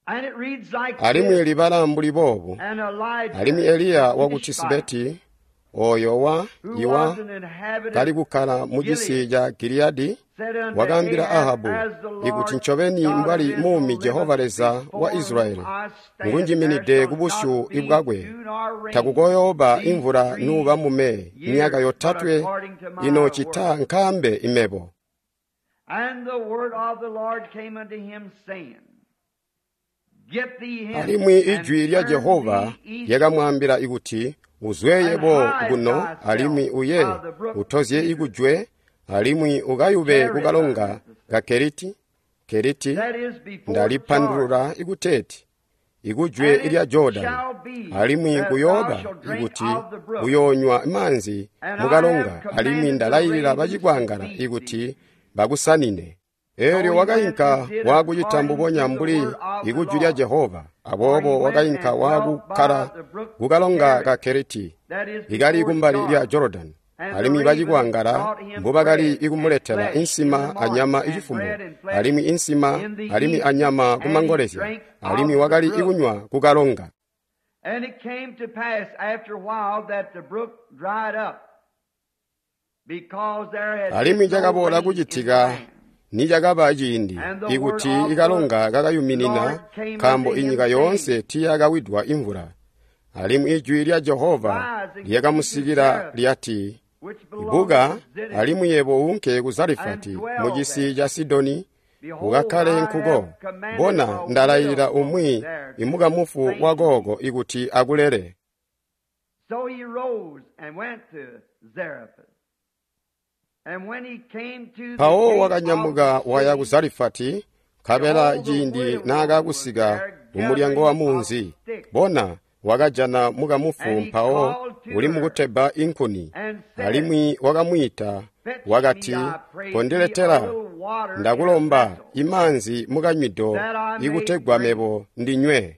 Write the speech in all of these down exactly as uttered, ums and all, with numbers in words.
And it reads like Alimwi this, libala mbuli boobu. And Elijah, Alimwi Eliya waku Tishbite, Tisibeti, oyo wa who iwa was an inhabitant kali kukkala mu cisi ca Giliyadi, said unto wakaambila Ahab, Ahabu As the Lord ikuti ncobeni God of mbwali Israel muumi liveth, Jehova Leza wa before Israyeli, whom I stand, ngunjiminide there ku shall busyu not be bwakwe, dew nor rain takukooyooba these imvula three nuuba mume years, myaka but yotatwe according to my ino cita word. nkambe imebo. And the word of the Lord came unto him, saying, Get thee hence, Alimwi and ijwi lya turn Jehova thee east, lyakamwaambila ikuti, Uzwe and yebo hide kuno, thyself alimwi uye by the brook utozye Kerith, ikujwe, alimwi ukayube Cherith, kukalonga I meant to say, ka Keriti, Keriti that is before Jordan. ndalipandulula ikuteeti ikujwe And lya it Jordani, shall be alimwi that thou kuyooba shalt drink ikuti of the brook, uyoonywa maanzi and I have mukalonga, alimwi commanded the ndalayilila ravens to bacikwangala feed thee. ikuti bakusanine. So Eelyo he went wakainka and did waakucita according mbubonya to the mbuli word of the ikujwi lya Lord. Jehova. For he Aboobo went wakainka and dwelt by waakukkala the brook kukalonga ka Kerith, Keriti, that is ikali before kumbali lya Jordan. Jorodani. And the Alimwi ravens bacikwangala brought him mbubakali bread and ikumuletela flesh in the insima morning, anyama and icifumo, bread and flesh alimwi insima in the alimwi evening, anyama and he kumangolezya, drank alimwi of the wakali brook. ikunywa kukalonga. And it came to pass after a while that the brook dried up, because there had Alimwi been no cakaboola rain in the kucitika land. nicakaba ciindi And the word ikuti of the ikalonga kakayuminina, Lord came nkaambo unto him, inyika saying, yoonse tiiyakawidwa imvula. Alimwi ijwi lya Jehova Rise and go to lyakamusikila Zarephath, lyati, which belongeth Ibuka to Zidon, alimwi yebo unke ku and Zarefati mu dwell cisi there. ca Sidoni, Behold, ukakkale I nkuko. have commanded Bona a ndalayilila widow umwi there to imukamufu sustain wa thee. gogo ikuti akulele. So he rose and went to Zarephath. And when he came to the Mpawo gate of wakanyamuka the waya ku city, Zarefati, nkabela behold, the ciindi widow woman was naakakusika there kumulyango wa gathering of munzi, sticks. bona wakajana mukamufu And he mpawo called to uli her mukutebba inkuni. and said, Alimwi wakamwiita Fetch me, wakati, I pray thee, a Kondiletela, little water in a ndakulomba vessel, imanzi mukanywido that I may ikutegwa drink. mebo ndinywe.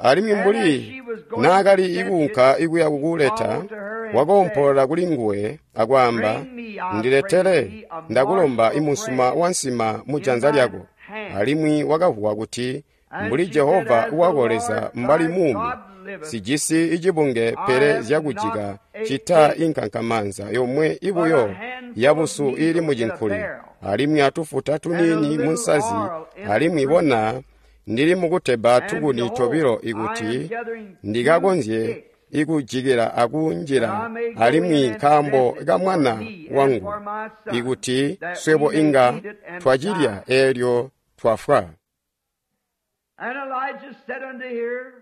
Alimwi And as mbuli she was going to naakali fetch it, ikuunka ikuya kukuleta, called to her and said, wakoompolola kuli nguwe akwaamba, Bring me, I pray Ndiletele, thee, a ndakulomba morsel of imusuma bread wa nsima mu in janza thine lyako. hand. Alimwi wakavuwa kuti, And mbuli she said, Jehova As the wako Lord Leza mbali thy muumi, God liveth, sijisi icibunge I pele have zyakujika not a cita cake, inkankamanza yomwe but a ibuyo handful of yabusu ili meal mu in a cinkuli, barrel, alimwi atufuta and a tuniini mu little nsazi, oil in a alimwi cruse. bona ndili mukutebba And tukuni tobilo behold, I am ikuti gathering two ndikakonzye sticks, ikujikila that I akunjila may go alimwi in and nkaambo dress it ka for mwana me and wangu for my son, ikuti that swebo we may inga eat it and twacilya die. eelyo twafwa. And Elijah said unto her,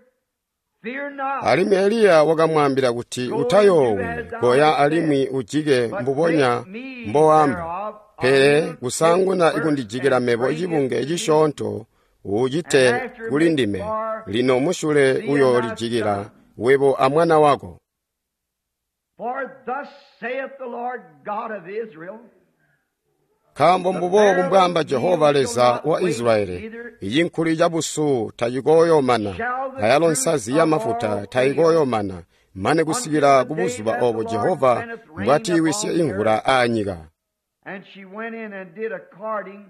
Fear not, Alimwi Eliya wakamwaambila kuti, go and do Utayoowi, as thou koya hast said, alimwi ujike but mbubonya make me mboamba. thereof a Pele little cake kusanguna first, ikundijikila and mebo bring it icibunge to me, cisyoonto and ucite after kuli make ndime. for Lino musyule thee and thy uyoolijikila son. webo amwana wako. For thus saith the Lord God of Israel, Nkaambo the mbuboobu barrel of mbwaamba meal Jehova shall Leza not wa waste, Israeli, neither icinkuli cabusu tacikooyoomana, shall the ayalo cruse nsazi of yamafuta oil fail, tayikooyoomana, mane until kusikila the ku day buzuba that the obo Lord Jehova sendeth rain mbwatiiwisye upon the imvula earth. aanyika. And she went in and did according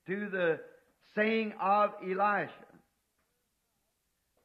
to the saying of Elisha.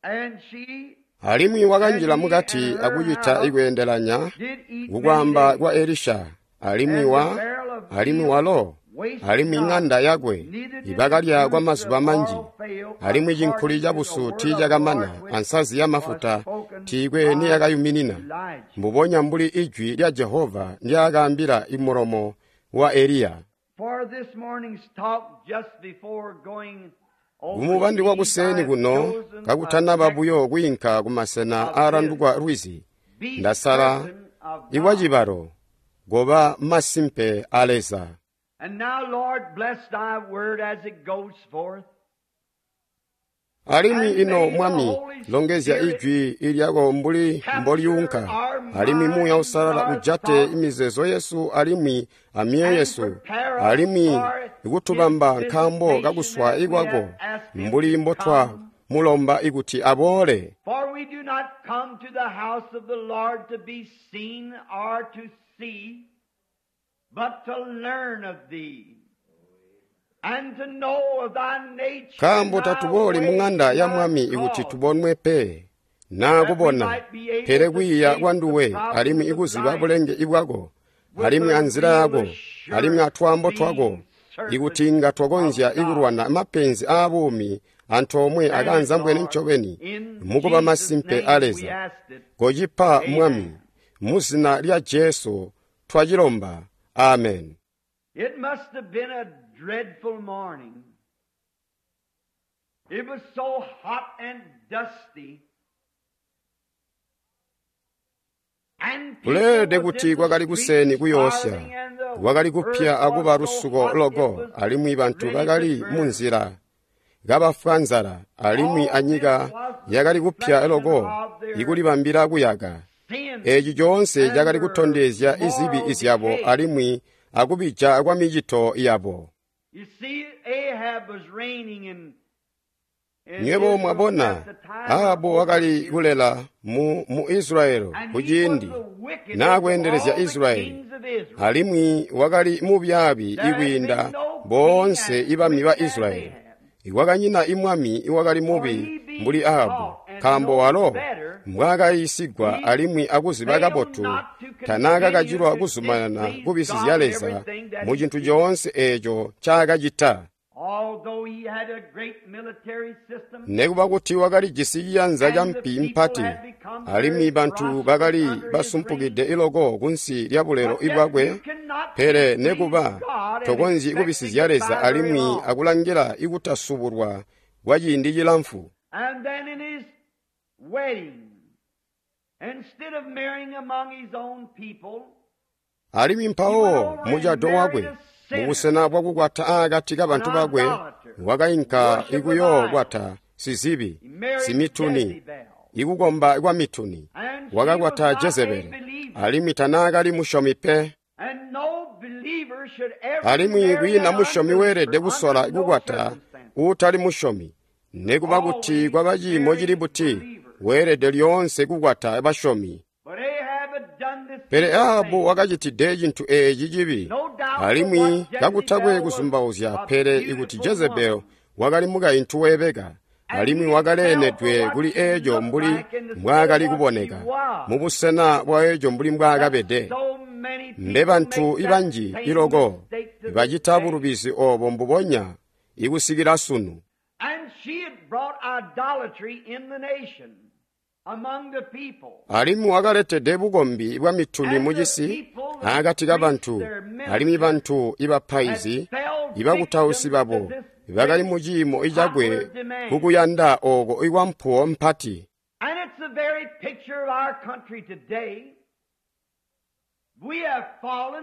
And she Alimwi and wakanjila he and mukati her akucita house ikweendelanya did eat many kukwaamba days. kwa Elisha, alimwi And the wa barrel of alimwi meal walo wasted alimwi not, ŋanda yakwe neither did the ibakalya kwa cruse mazuba of manji. oil fail, Alimwi cinkuli according to the cabusu word of the tiicakamana, Lord which ansazi was yamafuta spoken tiikwe by niyakayuminina, Elijah. mbubonya mbuli ijwi lya Jehova ndyaakaambila imulomo wa Eliya. For this morning's talk, just before going Kumubandi overseas, I wakuseni have kuno chosen a kakutanaba text buyo kwiinka kumasena of this aalandukwa lwizi, be ndasala certain of God. iwacibalo goba masimpe a Leza. And now, Lord, bless thy word as it goes forth. Alimwi And ino may the Mwami, Holy longezya Spirit ijwi ilyako mbuli capture mbolyunka, our alimwi Muuya minds, Uusalala our ujate thoughts, imizeezo yesu alimwi amiyo and yesu, prepare us alimwi for his ikutubamba nkaambo visitation kakuswa as we ikwako, have asked him mbuli to mbotwa come. mulomba ikuti aboole. For we do not come to the house of the Lord to be seen or to see, but to learn of thee. Nkaambo tatubooli muŋanda ya Mwami ikuti tubonwe pe, naa kubona, pele kwiiya kwanduwe alimwi ikuziba bulenge bwako, alimwi anzila yako, alimwi atwaambo twako, ikuti inga twakonzya ikulwana mapenzi aabuumi antoomwe akaanzambwene ncobeni mukuba masimpe a Leza. Kocipa Mwami, muzina lya Jesu twacilomba. Amen. It must have been a dreadful morning. It was so hot and dusty. Kuleelede kuti kwakali kuseni kuyoosya, kwakali kupya akuba lusuko loko, alimwi bantu bakali munzila kabafwa nzala, alimwi anyika yakali kupya loko ikulibambila kuyaka. Eeci coonse cakali kutondezya izibi izyabo alimwi akubija kwa micito yabo. Nywebo mwabona, Ahabu wakali kulela mu, mu Israyeli kuciindi naakweendelezya Israyeli, alimwi wakali mubyaabi ikwiinda boonse ibami ba Israyeli. Kwakanyina imwami iwakali mubi mbuli Ahabu, nkaambo walo mbwaakayiisigwa alimwi akuziba kabotu tanaakakacilwa kuzumanana kubisizya Leza mu cintu coonse eeco ncaakacita. Nekuba kuti wakalijisi ciyanza ca mpi mpati, alimwi bantu bakali basumpukide iloko kunsi lya bulelo bwakwe, pele nekuba tokonzyi kubisizya Leza alimwi akulangila ikutasubulwa kwa ciindi cilamfu. Alimwi mpawo mucado wakwe, mubusena bwakukwata aakati kabantu bakwe, wakainka ikuyookwata sizibi, simituni, ikukomba kwa mituni. Wakakwata Jezebeli, alimwi tanaakali musyomi pe. Alimwi kwiina musyomi weelede kusola kukwata uutali musyomi, nekuba kuti kwaba ciimo cili buti, weelede lyoonse kukwata basyomi. Pele Ahabu wakacitide cintu eeci cibi, alimwi kakutakwe kuzumbauzya, pele ikuti Jezebeli wakali mukaintu weebeka, alimwi wakaleenedwe kuli eeco mbuli mbwaakali kuboneka, mubusena bwa eeco mbuli mbwaakabede. Mbe bantu ibanji iloko bacita bulubizi oobo mbubonya ikusikila sunu. Alimwi wakaletede bukombi bwa mituni mucisi aakati kabantu, alimwi bantu ibapaizi ibakutausi babo bakali mu ciimo icakwe kukuyanda ooko ikwampuwo mpati.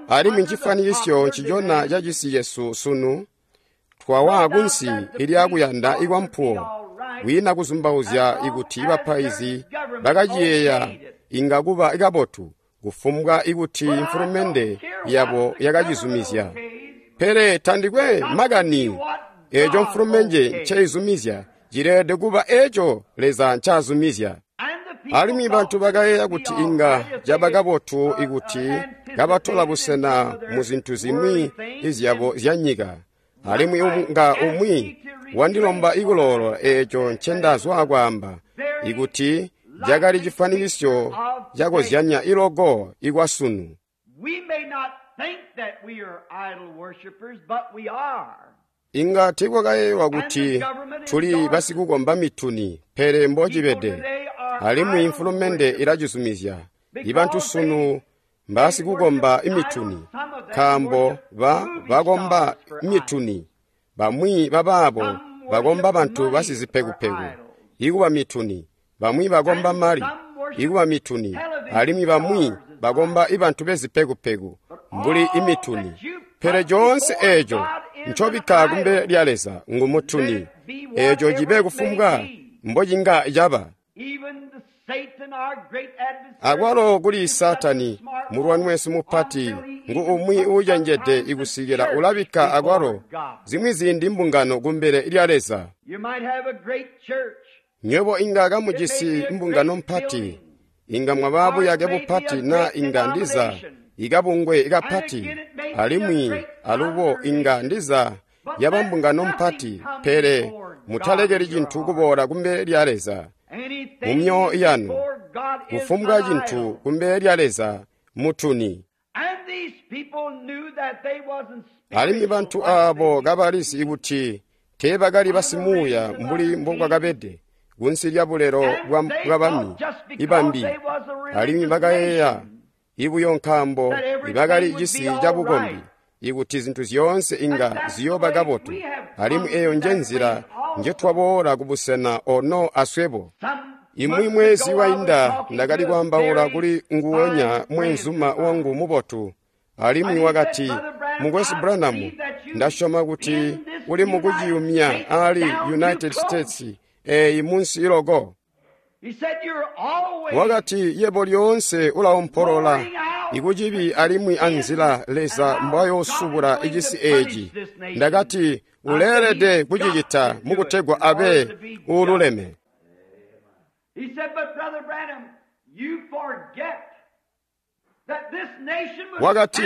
Alimwi ncifanikisyo ncicona ca cisi cesu sunu, twawa kunsi ilyakuyanda ikwampuwo, kwiina kuzumbauzya ikuti bapaizi bakaciyeeya inga kuba kabotu kufumbwa ikuti mfulumende yabo yakacizumizya. Pele tandikwe makani eeco mfulumende nceizumizya, cileelede kuba eeco Leza ncaazumizya. Alimwi bantu bakayeeya kuti inga caba kabotu ikuti kabatola busena mu zintu zimwi izyabo zyanyika. Alimwi nga umwi wandilomba ikuloolola eeco ncendazwa kwaamba, ikuti cakali cifanikisyo cakozyanya iloko ikwasunu. Inga tiikwakayeeyelwa kuti tuli basikukomba mituni, pele mbocibede. Alimwi mfulumende ilacizumizya. Ibantu sunu mbasikukomba imituni, nkaambo ba bakomba mituni. Bamwi babaabo bakomba bantu basizipekupeku, ikuba mituni. Bamwi bakomba mali, ikuba mituni. Alimwi bamwi bakomba ibantu bezipekupeku, mbuli imituni. Pele coonse eeco ncobikka kumbele lya Leza ngu mutuni. Eeco cibe kufumbwa mbocinga caba. Akwalo kuli Saatani, mulwani wesu mupati, ngu umwi uucenjede ikusikila ulabikka akwalo zimwi ziindi mbungano kumbele lya Leza. Nywebo inga kamujisi mbungano mpati, inga mwaba buyake bupati na inga ndiza ikabungwe kapati, alimwi alubo inga ndiza yaba mbungano mpati, pele mutalekeli cintu kuboola kumbele lya Leza mu myoyo yanu. Kufumbwa cintu kumbele lya Leza mutuni. Alimwi bantu aabo kabalizi kuti teebakali basimuuya mbuli mbokwakabede kunsi lya bulelo bwa bami ibambi, alimwi bakayeeya ibuyo nkaambo ibakali cisi cabukombi ikuti zintu zyoonse inga ziyooba kabotu. Alimwi eyo nje nzila njetwaboola kubusena ono aswebo. Imwi mwezi wainda ndakali kwaambaula kuli nguwonya mwenzuma wangu mubotu, alimwi wakati, Mukwesu Branham, ndasyoma kuti uli mukuciyumya ali United States eyi munsi iloko. Wakati, yebo lyoonse ulaompolola ikucibi alimwi anzila Leza mbwayoosubula icisi eeci. Ndakati, uleelede kucicita mukutegwa abe uululeme. Wakati,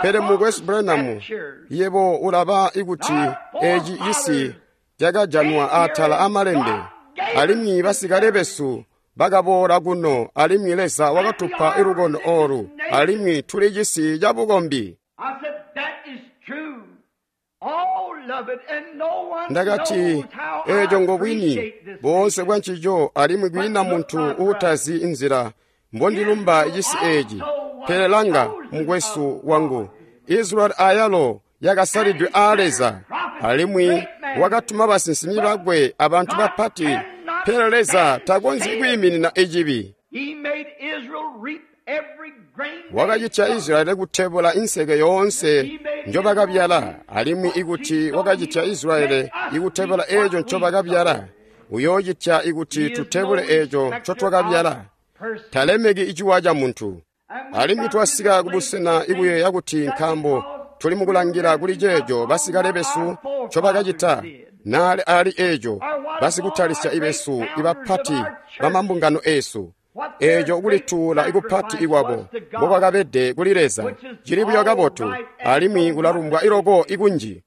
pele Mukwesu Branham, yebo ulaba ikuti eeci cisi cakajanwa atala amalembe, alimwi basikale besu bakaboola kuno, alimwi Leza wakatupa ilukono olu, alimwi tuli cisi cabukombi. Ndakati, eeco ngobwini boonse bwancico, alimwi kwiina muntu uutazi inzila mbondilumba cisi eeci. Pele langa, mukwesu wangu, Israeli ayalo yakasalidwe aa Leza, alimwi wakatuma basinsimi bakwe abantu bapati, pele Leza takonzyi kwiiminina icibi. Wakacitya Israeli kutebula inseke yoonse njobakabyala, alimwi ikuti wakacitya Israeli ikutebula eeco ncobakabyala, uyoocitya ikuti tutebule eeco ncotwakabyala. Talemeki iciwa ca muntu. Alimwi twasika kubusena ikuyeeya kuti nkaambo tuli mukulangila kuli ceeco basikale besu ncobakacita, naali ali eeco basikutalisya ibesu ibapati bamambungano eesu, eeco kulituula ikupati ikwabo mbokwakabede kuli Leza, cili buyo kabotu alimwi kulalumbwa iloko ikunji.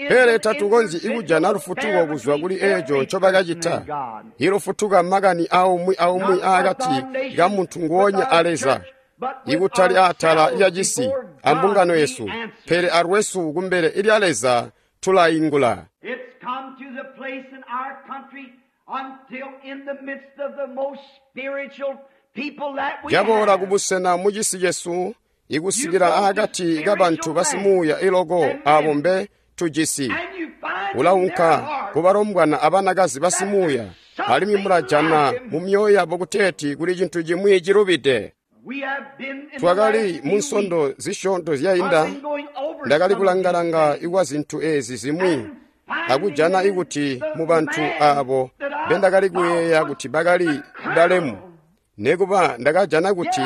Pele tatukonzyi ikujana lufutuko kuzwa kuli eeco ncobakacita. Ilufutuka makani aumwi aumwi aakati kamuntu nguonya a Leza, ikutali atala lya cisi ambungano yesu, pele alwesu kumbele lya Leza tulaingula. Caboola kubusena mucisi cesu ikusikila aakati kabantu basimuuya iloko aabo mbe tujisi. Ulaunka kubalombwana abanakazi basimuuya, alimwi mulajana mu myoyo yabo kuteeti kuli cintu cimwi cilubide. Twakali mu nsondo zisyoonto zyainda, ndakali kulanga-langa ikwa zintu eezi zimwi akujana ikuti mu bantu aabo mbendakali kuyeeya kuti bakali balemu, nekuba ndakajana kuti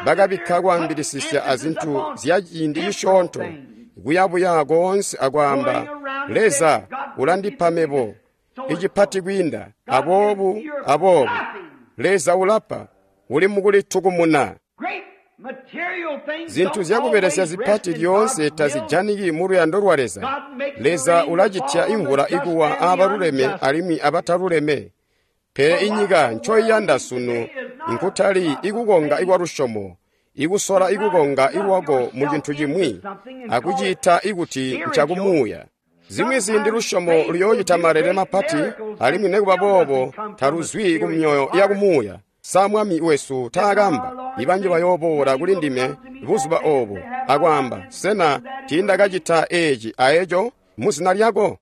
bakabikka kwaambilisisya azintu zya ciindi cisyoonto, kuyabuya koonse akwaamba, Leza ulandipa mebo icipati kwiinda aboobu aboobu. Leza ulapa, uli mukulitukumuna. Zintu zyakubelesya zipati lyoonse tazijaniki mu luyando lwa Leza. Leza ulacitya imvula ikuwa aabaluleme alimwi abataluleme. Pele inyika ncoiyanda sunu nkutali ikukonga ikwa lusyomo, ikusola ikukonga ilwako mu cintu cimwi akuciita ikuti ncakumuuya. Zimwi ziindi lusyomo luyoocita malele mapati, alimwi nekuba boobo taluzwi ku myoyo yakumuuya. Sa Mwami wesu taakamba, ibanji bayooboola kuli ndime buzuba oobo akwaamba, sena tiindakacita eeci aeco muzina lyako?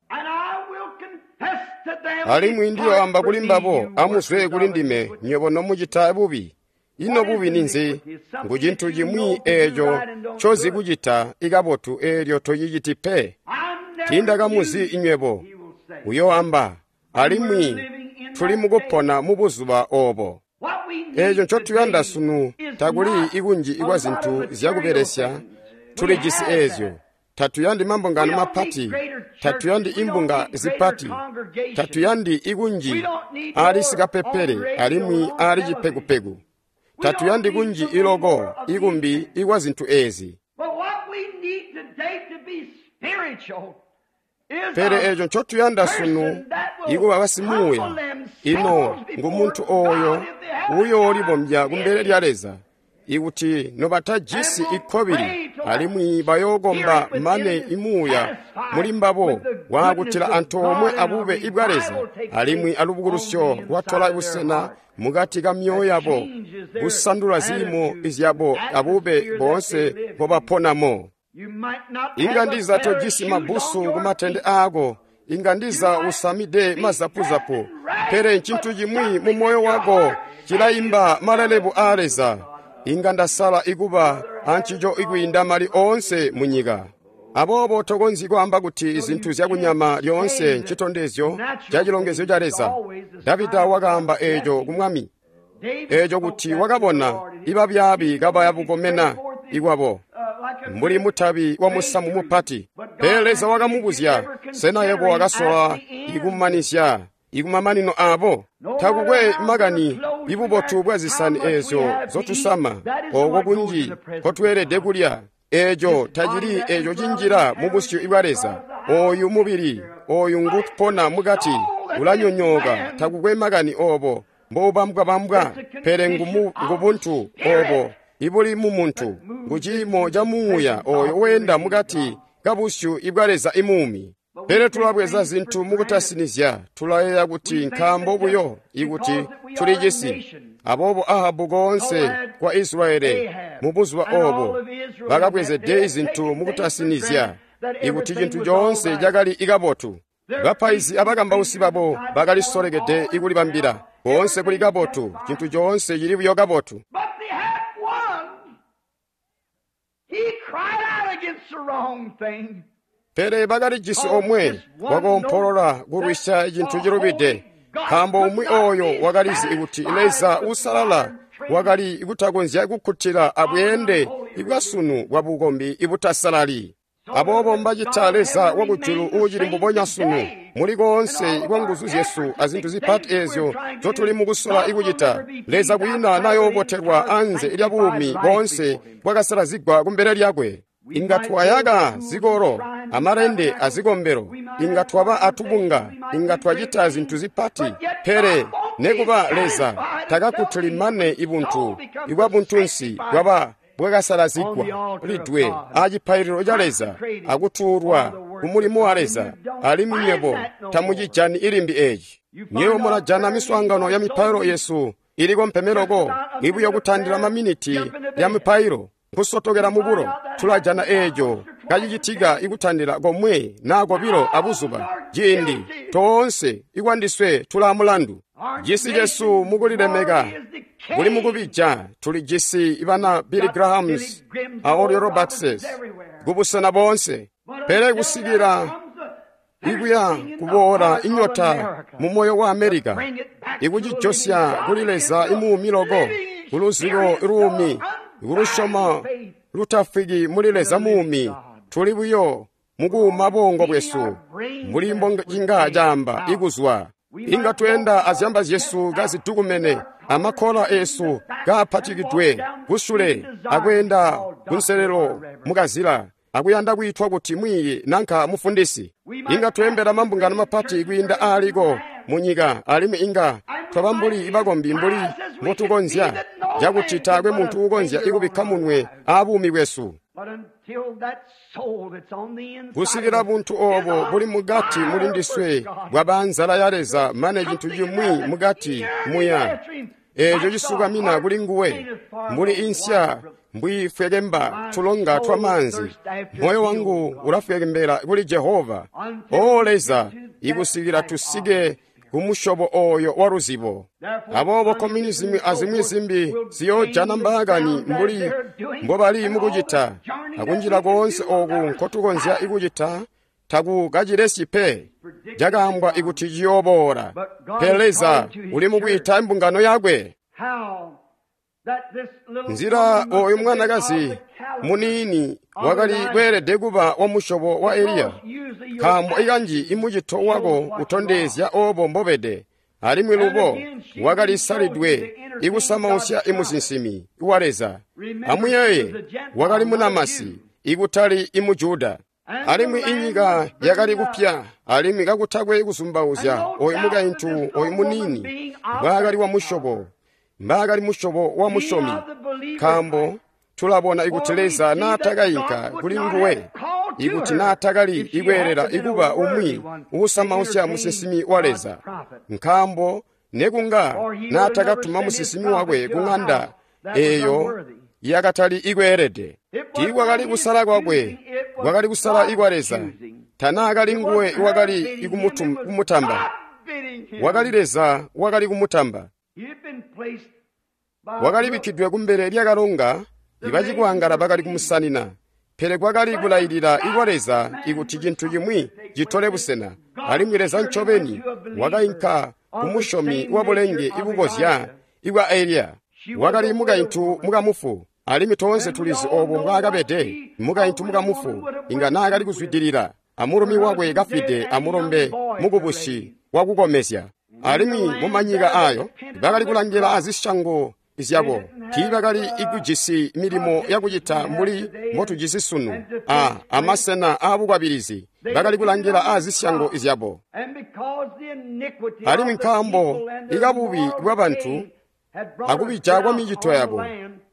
Alimwi ndiyoamba kuli mbabo, amuzwe kuli ndime nywebo nomucita bubi. Ino bubi ninzi? Ngu cintu cimwi eeco ncozi kucita ikabotu eelyo tociciti pe. Tiindakamuzi nywebo, uyoamba, alimwi tuli mukupona mubuzuba oobo. Eeco ncotuyanda sunu takuli ikunji ikwa zintu zyakubelesya, tulijisi eezyo. Tatuyandi mambungano mapati, tatuyandi imbunga zipati, tatuyandi ikunji ali sikapepele alimwi ali cipekupeku. Tatuyandi kunji iloko ikumbi ikwa zintu ezi. Pele eeco ncotuyanda sunu ikuba basimuuya, ino ngumuntu ooyo uyoolibombya kumbele lya Leza, ikuti nobatajisi ikkobili alimwi bayookomba mane imuuya muli mbabo waakutila antoomwe abube ibwa Leza alimwi alubukulusyo lwatola busena mukati ka myoyo yabo, kusandula ziimo zyabo abube boonse mbobaponamo. Inga ndiza tojisi mabbusu kumatende aako, inga ndiza usamide mazapuzapu, pele ncintu cimwi mu moyo wako cilayimba malelebu aa Leza. Inga ndasala ikuba ancico ikwiinda mali oonse munyika. Aboobo tokonzyi kwaamba kuti zintu zyakunyama lyoonse ncitondezyo ca cilongezyo ca Leza. Davida wakaamba eeco ku mwami, eeco kuti wakabona ibabyaabi kabaya bukomena ikwabo mbuli mutabi wa musamu mupati. Pele Leza wakamubuzya, sena yebo wakasola ikumanizya ikumamanino abo? Takukwe makani ibubotu bwa zisani eezyo zotusama, oko kunji kotweelede kulya, eeco tacili eeco cinjila mu busyu bwa Leza. Ooyu mubili, ooyu ngupona mukati, ulanyonyooka. Takukwe makani obo mboubambwabambwa, pele ngubuntu obo ibuli mu muntu, nguciimo ca muuya ooyo weenda mukati kabusyu ibwa Leza imuumi. Pele tulabweza zintu mukutasinizya, tulayeeya kuti nkaambo buyo ikuti tulijisi. Aboobo Ahabu koonse kwa Israeli mubuzuba obo bakabwezede zintu mukutasinizya, ikuti cintu coonse cakali ikabotu. Bapaizi abakambausi babo bakalisolekede ikulibambila koonse kuli kabotu, cintu coonse cili buyo kabotu. Pele bakalijisi omwe wakoompolola kulwisya cintu cilubide, nkaambo umwi ooyo wakalizi kuti Leza uusalala wakali kutakonzya kukkutila abweende ibwasunu bwa bukombi ibutasalali. Aboobo mbacita Leza wakujulu uucili mbubonya sunu muli koonse kwa nguzu zyesu azintu zipati eezyo zotuli mukusola ikucita. Leza kwiina nayoobotelwa anze lya buumi boonse bwakasalazigwa kumbele lyakwe. Inga twayaka zikolo, amalende azikombelo, inga twaba atubunga, inga twacita zintu zipati, pele nekuba Leza takakkutili mane ibuntu ibwa buntunsi bwaba bwakasalazigwa lidwe acipaililo ca Leza akutuulwa kumulimo wa Leza, alimwi nywebo tamucijani ilimbi eeci. Nywebo mulajana miswaangano ya mipailo yesu iliko mpemeloko ibuyo kutandila maminiti ya mipailo nkusotokela mubulo. Tulajana eeco kacicitika ikutandila komwe naa kobilo abuzuba, ciindi toonse ikwandiswe tulaa mulandu. Cisi cesu mukulilemeka kuli mukubija, tulijisi bana Billy Grahams a Oral Roberts kubusena boonse, pele kusikila ikuya kuboola inyota mu moyo wa Amerika, ikucijosya kuli Leza imuumi loko, kuluzibo luumi, kulusyomo lutafwiki muli Leza muumi. Tuli buyo mukuuma bongo bwesu mbuli mboncinga caamba ikuzwa. Inga tweenda azyamba zyesu kazidukumene, amakkola esu kaapatikidwe kusule, akweenda kunselelo mukazila, akuyanda kwiitwa kuti mwiiyi nanka mufundisi. Inga tweembela mambungano mapati kwiinda aaliko munyika, alimwi inga twaba mbuli bakombi mbuli mbotukonzya, cakuti taakwe muntu uukonzya ikubikka munwe aabuumi bwesu. Kusikila buntu oobo buli mukati muli ndiswe bwaba nzala ya Leza mane cintu cimwi mukati muya eeco cisukamina kuli nguwe, mbuli insya mbwiifwekemba tulonga twa maanzi. Moyo wangu ulafwekembela kuli Jehova, O Leza, ikusikila tusike kumusyobo ooyo wa luzibo. Aboobo communism azimwi zimbi ziyoojana mbaakani mbuli mbobali mukucita, akunjila koonse ooku nkotukonzya ikucita takukacilesyi pe. Cakaambwa ikuti ciyooboola, pele Leza uli mukwiita imbungano yakwe. Nzila ooyu mwanakazi muniini wakali kweelede kuba wa musyobo wa Eliya, nkaambo ikanji imucito wako utondezya oobo mbobede. Alimwi lubo wakali salidwe ikusamausya imusinsimi wa Leza. Amuyeeye, wakali munamasi, ikutali imujuda. Alimwi inyika yakali kupya, alimwi kakutakwe kuzumbauzya oyu mukaintu oyu muniini mbwaakali wa musyobo, mbaakali musyobo wa musyomi, nkaambo tulabona ikuti Leza naatakayinka kuli nguwe, ikuti naatakali ikweelela ikuba umwi uusamausya musinsimi wa Leza, nkaambo nekunga naatakatuma musinsimi wakwe ku ng'anda eeyo yakatali ikweelede. Tiikwakali kusala kwakwe, kwakali kusala ikwa Leza. Tanaakali nguwe wakali ikumutamba, wakali Leza wakali kumutamba. Wakali bikkidwe kumbele lyakalonga, ibacikwaangala bakali kumusanina. Pele kwakali kulailila ikwa Leza ikuti cintu cimwi citole busena, alimwi Leza ncobeni wakainka kumusyomi wa bulenge ibukozya ikwa Eliya. Wakali mukaintu mukamufu, alimwi toonse tulizi obo mbwaakabede. Mukaintu mukamufu inga naakali kuzwidilila amulumi wakwe kafwide amulombe mukubusi wakukomezya. Alimwi mumanyika ayo bakali kulangila azisyango zyabo, tiibakali ikujisi milimo yakucita mbuli mbotujisi sunu a amasena aabukwabilizi. Bakali kulangila azisyango zyabo. Alimwi nkaambo ikabubi bwabantu akubija kwa micito yabo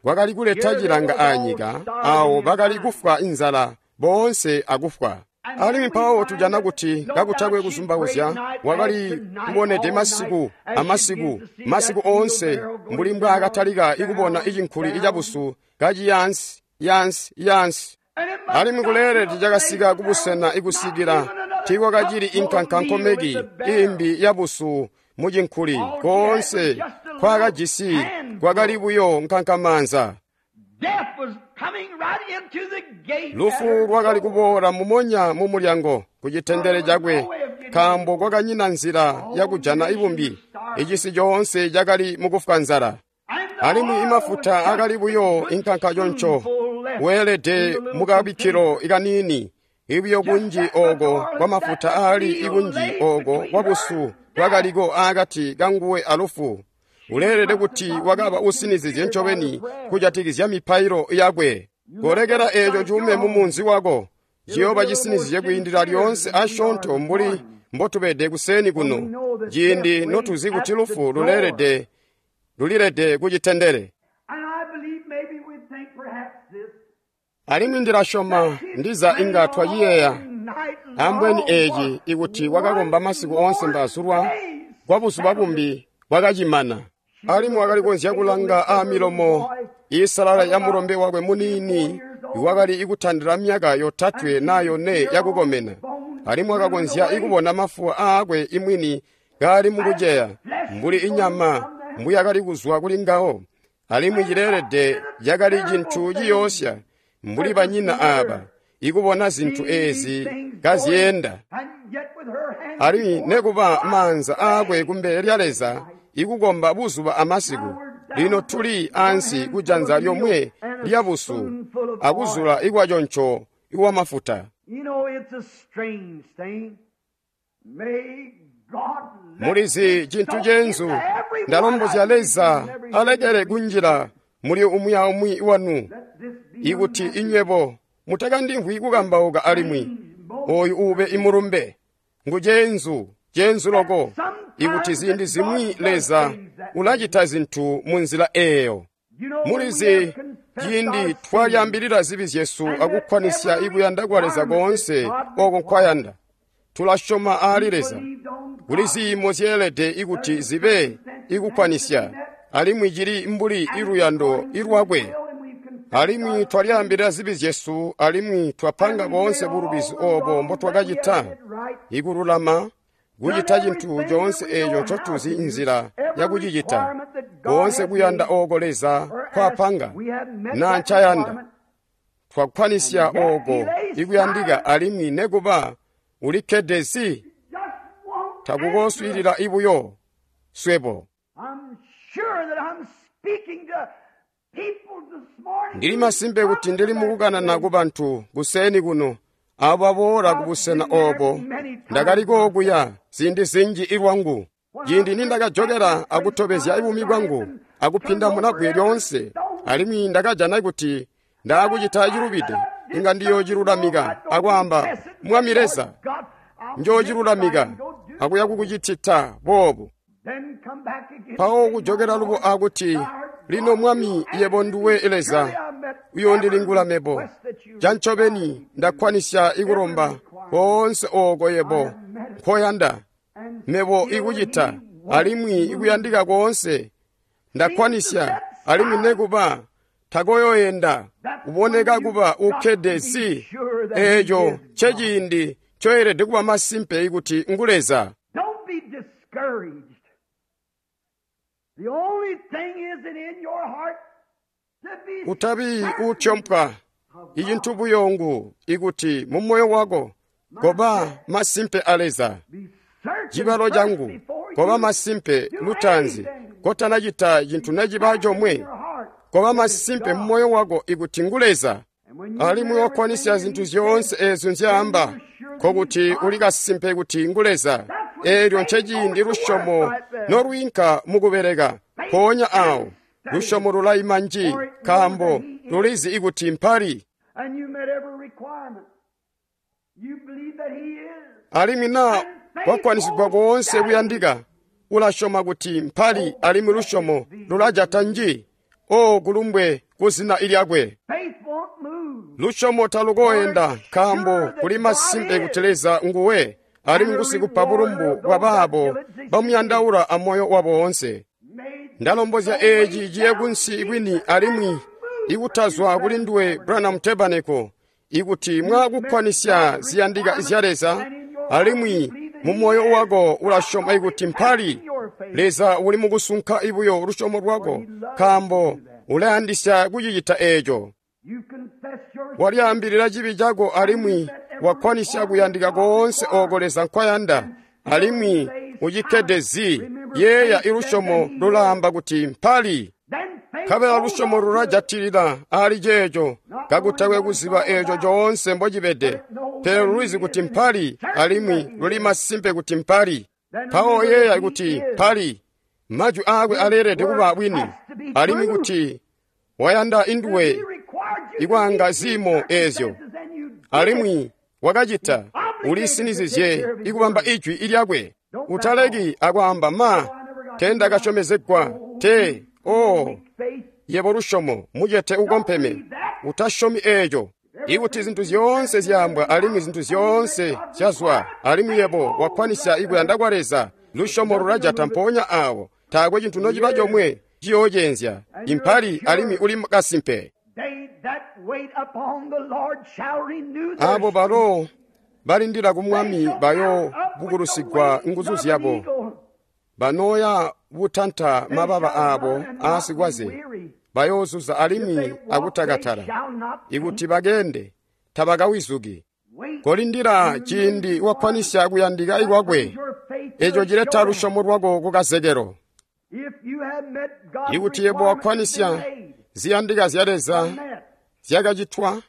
kwakali kuleta cilanga aanyika, awo bakali kufwa inzala boonse akufwa. Alimwi mpawo tujana kuti kakutakwe kuzumbauzya wakali kubonede masiku amasiku, masiku oonse mbuli mbwaakatalika ikubona icinkuli icabusu kaciyansi yansi yansi. Alimwi kuleelede cakasika kubusena ikusikila tiikwakacili inkankankomeki imbi yabusu mucinkuli koonse kwakajisi kwakali buyo nkankamanza. Lufu lwakali kuboola mumonya mumulyango ku citendele cakwe, nkaambo kwakanyina nzila yakujana ibumbi. Icisi coonse cakali mukufwa nzala. Alimwi imafuta akali buyo inkankaconco weelede mukabikkilo kaniini, ibuyo kunji ooko kwamafuta aali ikunji ooko kwabusu bwakaliko aakati kanguwe alufu. Uleelede kuti wakaba usinizizye ncobeni kujatikizya mipailo yakwe. Kolekela eeco cuume mumunzi wako, ciyooba cisinizizye kwiindila lyoonse asyoonto mbuli mbotubede kuseeni kuno, ciindi notuzi kuti lufu luleelede lulilede kucitendele. Alimwi ndilasyoma ndiza inga twaciyeeya ambweni eeci ikuti wakakomba masiku oonse mbazulwa kwa buzuba bumbi bwakacimana. Alimwi wakali konzya kulanga aamilomo iisalala ya mulombe wakwe muniini iwakali ikutandila myaka yotatwe naa yone yakukomena. Alimwi wakakonzya ikubona mafuwa aakwe imwini kaali mukuceya mbuli inyama mbuyakali kuzwa kuli ngawo. Alimwi cileelede cakali cintu ciyoosya mbuli banyina aaba ikubona zintu eezi kazyeenda. Alimwi nekuba maanza aakwe kumbele lya Leza ikukomba buzuba amasiku. Lino tuli ansi kujanza lyomwe lyabusu akuzula ikwaconco iwamafuta. Mulizi cintu cenzu, ndalombozya Leza alekele kunjila muli umwi aumwi wanu, ikuti inywebo mutakandimvwi kukambauka alimwi oyu ube imulumbe. Ngu cenzu, cenzu loko, ikuti ziindi zimwi Leza ulacita zintu munzila eeyo. Mulizi ciindi twalyambilila zibi zyesu akukkwanisya ikuyanda kwa Leza koonse oko nkwayanda, tulasyoma aali Leza. Kuli ziimo zyeelede ikuti zibe ikukkwanisya, alimwi cili mbuli iluyando ilwakwe. Alimwi twalyambilila zibi zyesu, alimwi twapanga boonse bulubizi obo mbotwakacita, ikululama, kucita cintu coonse eeco ncotuzi nzila yakucicita, koonse kuyanda ooko Leza kwapanga na ncayanda. Twakkwanisya ooko ikuyandika, alimwi nekuba ulikkede zi, takukooswiilila ibuyo swebo. Ndili masimpe kuti ndili mukukanana ku bantu kuseeni kuno abo baboola kubusena obo. Ndakaliko okuya ziindi zinji ilwangu. Ciindi nindakajokela akutobezya buumi bwangu akupinda munabwe lyoonse, alimwi ndakajana kuti ndaakucita cilubide, inga ndiyoocilulamika akwaamba, Mwami Leza, njoocilulamika akuya kukucitita boobu. Mpawo kujokela lubo akuti, lino Mwami, yebo nduwe Leza, uyoondilingula mebo. Cancobeni ndakkwanisya ikulomba koonse ooko yebo nkoyanda mebo ikucita, alimwi ikuyandika koonse ndakkwanisya, alimwi nekuba takoyoyenda uboneka kuba ukkede si. Eeco nceciindi ncoyelede kuba masimpe kuti ngu Leza. Utabi utyompwa. Icintu buyo ngu ikuti mumoyo wako koba masimpe a Leza. Cibalo cangu koba masimpe lutaanzi kotanacita cintu neciba comwe. Koba masimpe mumoyo wako ikuti ngu Leza, alimwi wakkwanisya zintu zyoonse eezyo nzyaamba, nkokuti uli kasimpe kuti ngu Leza. Eelyo nceciindi lusyomo nolwiinka mukubeleka. Mpoonya awo lusyomo lulayima nji, nkaambo lulizi ikuti mpali. Alimwi naa kwakwanisigwa koonse kuyandika, ulasyoma kuti mpali, alimwi lusyomo lulajata nji. O kulumbwe kuzina lyakwe. Lusyomo talukoyenda, nkaambo kuli masimpe kuti Leza nguwe, alimwi ngusikupa bulumbu bwa baabo bamuyandaula amoyo wabo woonse. Ndalombozya eeci ciye kunsi kwini alimwi ikutazwa kuli nduwe Branham Tabernacle, ikuti mwakukkwanisya ziyandika zya Leza, alimwi mumoyo wako ulasyoma ikuti mpali. Leza uli mukusunka ibuyo lusyomo lwako, nkaambo ulayandisya kucicita eeco. Walyaambilila cibi cako alimwi wakkwanisya kuyandika koonse ooko Leza nkwayanda, alimwi ucikkede zi. Yeeya ilusyomo lulaamba kuti mpali. Nkabela lusyomo lulajatilila ali ceeco kakutakwe kuziba eeco coonse mbocibede, pele lulizi kuti mpali, alimwi luli masimpe kuti mpali. Mpawo yeeya kuti mpali, majwi aakwe aleelede kuba bwini, alimwi kuti wayanda induwe ikwaanga ziimo eezyo, alimwi wakacita, ulisinizizye ikubamba ijwi ilyakwe. Utaleki akwaamba, ma tendakasyomezegwa te. O yebo lusyomo mucete ukompeme, utasyomi eeco. Ikuti zintu zyoonse zyaambwa alimwi zintu zyoonse zyazwa, alimwi yebo wakkwanisya ikuyanda kwa Leza, lusyomo lulajata mpoonya awo. Taakwe cintu nociba comwe ciyoocenzya. Impali, alimwi uli kasimpe. Aabo balo balindila ku Mwami bayo bukulusigwa nguzu zyabo, banooya butanta mababa aabo aasikwaze, bayoozuza alimwi akutakatala. Ikuti bakende tabakawizuki. Kolindila ciindi wakkwanisya kuyandika ikwakwe. Eeco cileta lusyomo lwako kukazekelo. Ikuti yebo wakkwanisya ziyandika zya Leza zyakacitwa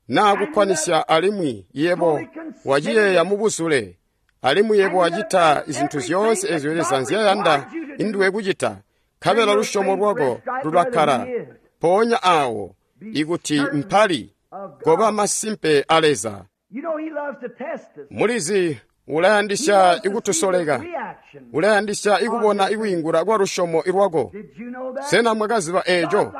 naa kukkwanisya, alimwi yebo waciyeeya mubuzule, alimwi yebo wacita zintu zyoonse eezyo Leza nzyayanda induwe kucita, nkabela lusyomo lwako lulakkala mpoonya awo ikuti mpali. Koba masimpe a Leza. Mulizi ulayandisya ikutusoleka, ulayandisya ikubona ikwiingula kwa lusyomo lwako. Sena mwakaziba eeco?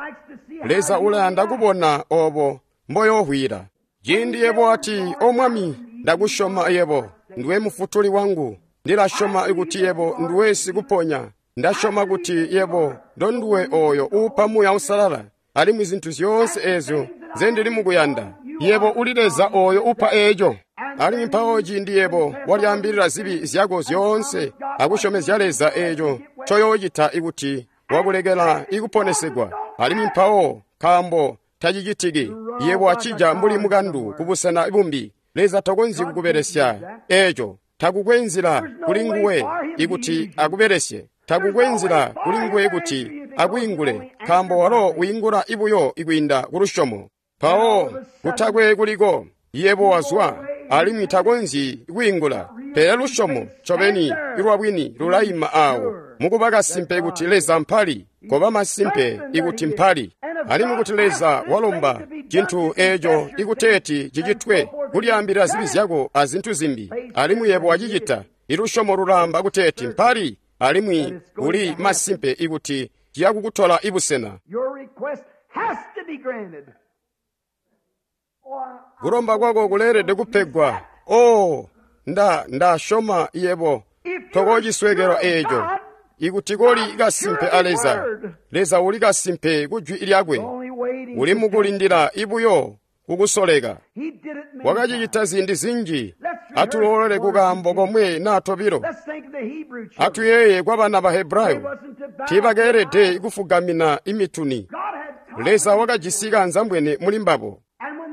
Leza ulayanda kubona obo mboyohwila. Ciindi yebo ati, O Mwami, ndakusyoma yebo, nduwe mufutuli wangu. Ndilasyoma kuti yebo nduwe sikuponya. Ndasyoma kuti yebo ndonduwe oyo uupa Muuya Uusalala, alimwi zintu zyoonse eezyo nzendili mukuyanda. Yebo uli Leza oyo upa eeco. Alimwi mpawo ciindi yebo walyaambilila zibi zyako zyoonse akusyomezya Leza eeco ncoyoocita ikuti wakulekela ikuponesegwa, alimwi mpawo nkaambo tacicitiki, yebo wacija mbuli mukandu kubusena bumbi. Leza takonzyi kukubelesya eeco. Takukwe nzila kuli nguwe ikuti akubelesye. Takukwe nzila kuli nguwe kuti akwiingule, nkaambo walo wiingula ibuyo ikwiinda ku lusyomo. Mpawo kutakwe kuliko, yebo wazwa, alimwi takonzyi kwiingula. Pele lusyomo ncobeni ilwabwini lulaima awo mukuba kasimpe kuti Leza mpali, koba masimpe ikuti mpali, alimwi kuti Leza walomba cintu eeco ikuteeti cicitwe, kulyaambilila zibi zyako azintu zimbi, alimwi yebo wacicita, ilusyomo lulaamba kuteeti mpali, alimwi uli masimpe ikuti ciya kukutola ibusena. Kulomba kwako kuleelede kupegwa. Oh, nda ndasyoma yebo tokociswekelwa eeco. Ikuti koli kasimpe a Leza, Leza uli kasimpe ku jwi lyakwe, uli mukulindila ibuyo kukusoleka. Wakacicita ziindi zinji. Atuloolole kukaambo komwe naa tobilo. Atuyeeye kwa bana ba Hebrayo, tiibakeelede kufugamina imituni. Leza wakajisi kanzambwene muli mbabo.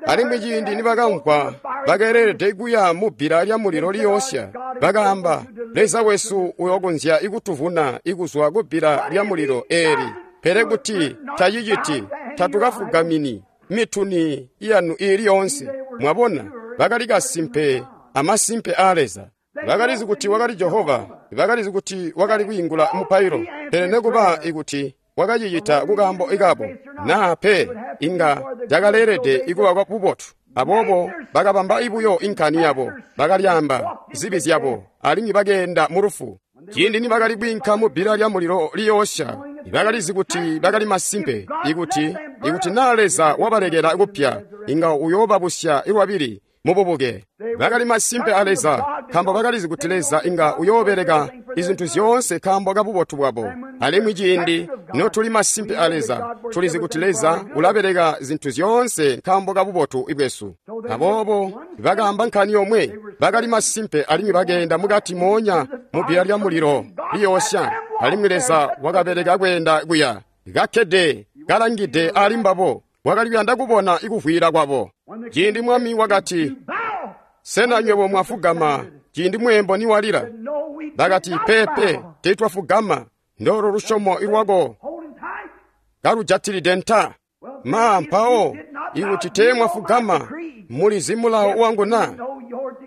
Alimwi ciindi nibakamvwa bakeelede kuya mubbila lyamulilo liyoosya, bakaamba, Leza wesu uyokonzya ikutuvuna ikuzwa kubbila lyamulilo eeli, pele kuti taciciti tatukafugamini mituni yanu iili yoonse. Mwabona, bakali kasimpe amasimpe aa Leza. Bakalizi kuti wakali Jehova, bakalizi kuti wakali kwiingula mupailo, pele nekuba ikuti wakacicita kukaambo ikabo naa pe, inga cakaleelede ikuba kwa bubotu. Aboobo bakabamba ibuyo inkani yabo, bakalyaamba zibi zyabo, alimwi bakeenda mu lufu. Ciindi nibakali kwiinka mu bbila lyamulilo liyoosya, bakalizi kuti bakali masimpe ikuti ikuti naa Leza wabalekela kupya, inga uyoobabusya ilwabili mububuke. Bakali masimpe a Leza, nkaambo bakalizi kuti Leza inga uyoobeleka izintu zyoonse nkaambo ka bubotu bwabo. Alimwi ciindi notuli masimpe a Leza, tulizi kuti Leza ulabeleka zintu zyoonse nkaambo ka bubotu bwesu. Aboobo bakaamba nkani yomwe, bakali masimpe alimwi bakeenda mukati moonya mubbila lyamulilo liyoosya, alimwi Leza wakabeleka kweenda kuya, kakkede kalangide ali mbabo, wakali kuyanda kubona ikuvwiila kwabo. Ciindi mwami wakati, sena nywebo mwafugama ciindi mweembo niwalila? Bakati, pepe, teetwafugama. Ndolo lusyomo ilwako kalujatilide nta. Ma mpawo ikuti teemwafugama, mulizi mulawo wangu na?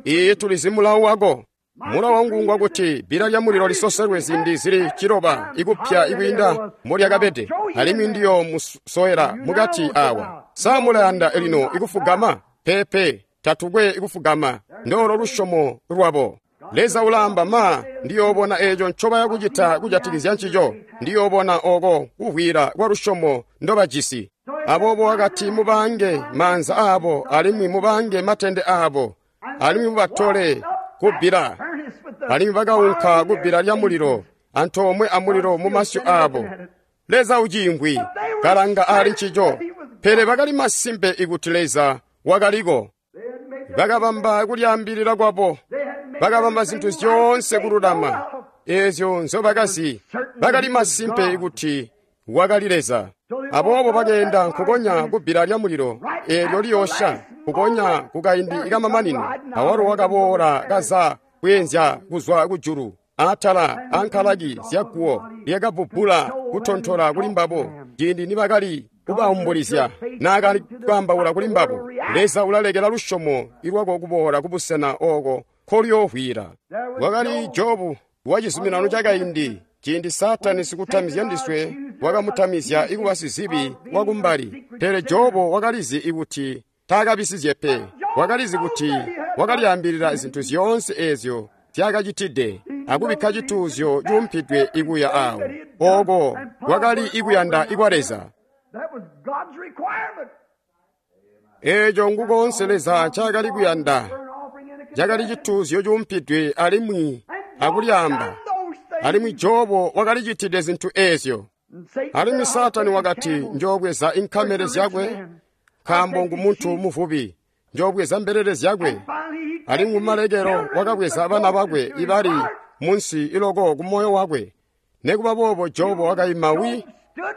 Iye tulizi mulawo wako. Mulawo wangu ngwakuti bbila lyamulilo lisoselwe ziindi zili ciloba ikupya ikwiinda molyakabede, alimwi ndiyo musowela mukati awa. Sa mulayanda lino ikufugama? Pepe, tatukwe ikufugama. Ndolo lusyomo lwabo. Leza ulaamba, ma ndiyoobona eeco ncobaya kucita kujatikizya ncico, ndiyoobona oko kuvwiila kwa lusyomo ndobajisi. Aboobo wakati, mubange maanza aabo, alimwi mubange matende aabo, alimwi mubatole kubbila. Alimwi bakaunka kubbila lyamulilo antoomwe amulilo mumasyu aabo. Leza uciingwi kalanga ali ncico, pele bakali masimpe ikuti Leza wakaliko. Bakabamba kulyaambilila kwabo, bakabamba zintu zyoonse kululama eezyo nzobakazi. Bakali masimpe ikuti wakali Leza. Aboobo bakeenda nkukonya kubbila lyamulilo eelyo liyoosya, nkukonya kukaindi kamamanino. Awalo wakaboola kaza kweenzya kuzwa kujulu atala ankalaki zyaguwo lyakabbubbula kutontola kuli mbabo ciindi nibakali kubaumbulizya naakali kwaambaula kuli mbabo. Leza ulalekela lusyomo ilwako kuboola kubusena ooko nkolyoovwiila. Wakali Jobu wa cizuminano cakaindi, ciindi Saatani sikutamizya ndiswe wakamutamizya ikuba sizibi wakumbali. Pele Jobu wakalizi ikuti taakabisizye pe, wakalizi kuti wakalyaambilila zintu zyoonse eezyo zyakacitide akubikka cituuzyo cuumpidwe ikuya awo. Ooko kwakali ikuyanda ikwa Leza. Eeco ngukoonse Leza ncaakali kuyanda, cakali cituuzyo cuumpidwe alimwi akulyaamba. Alimwi Jobu wakalicitide zintu eezyo. Alimwi Saatani wakati, njoobweza inkamele zyakwe, nkaambo ngumuntu muvubi, njoobweza mbelele zyakwe. Alimwi kumalekelo wakabweza bana bakwe ibali munsi iloko kumoyo wakwe. Nekuba boobo Jobu wakaima wi,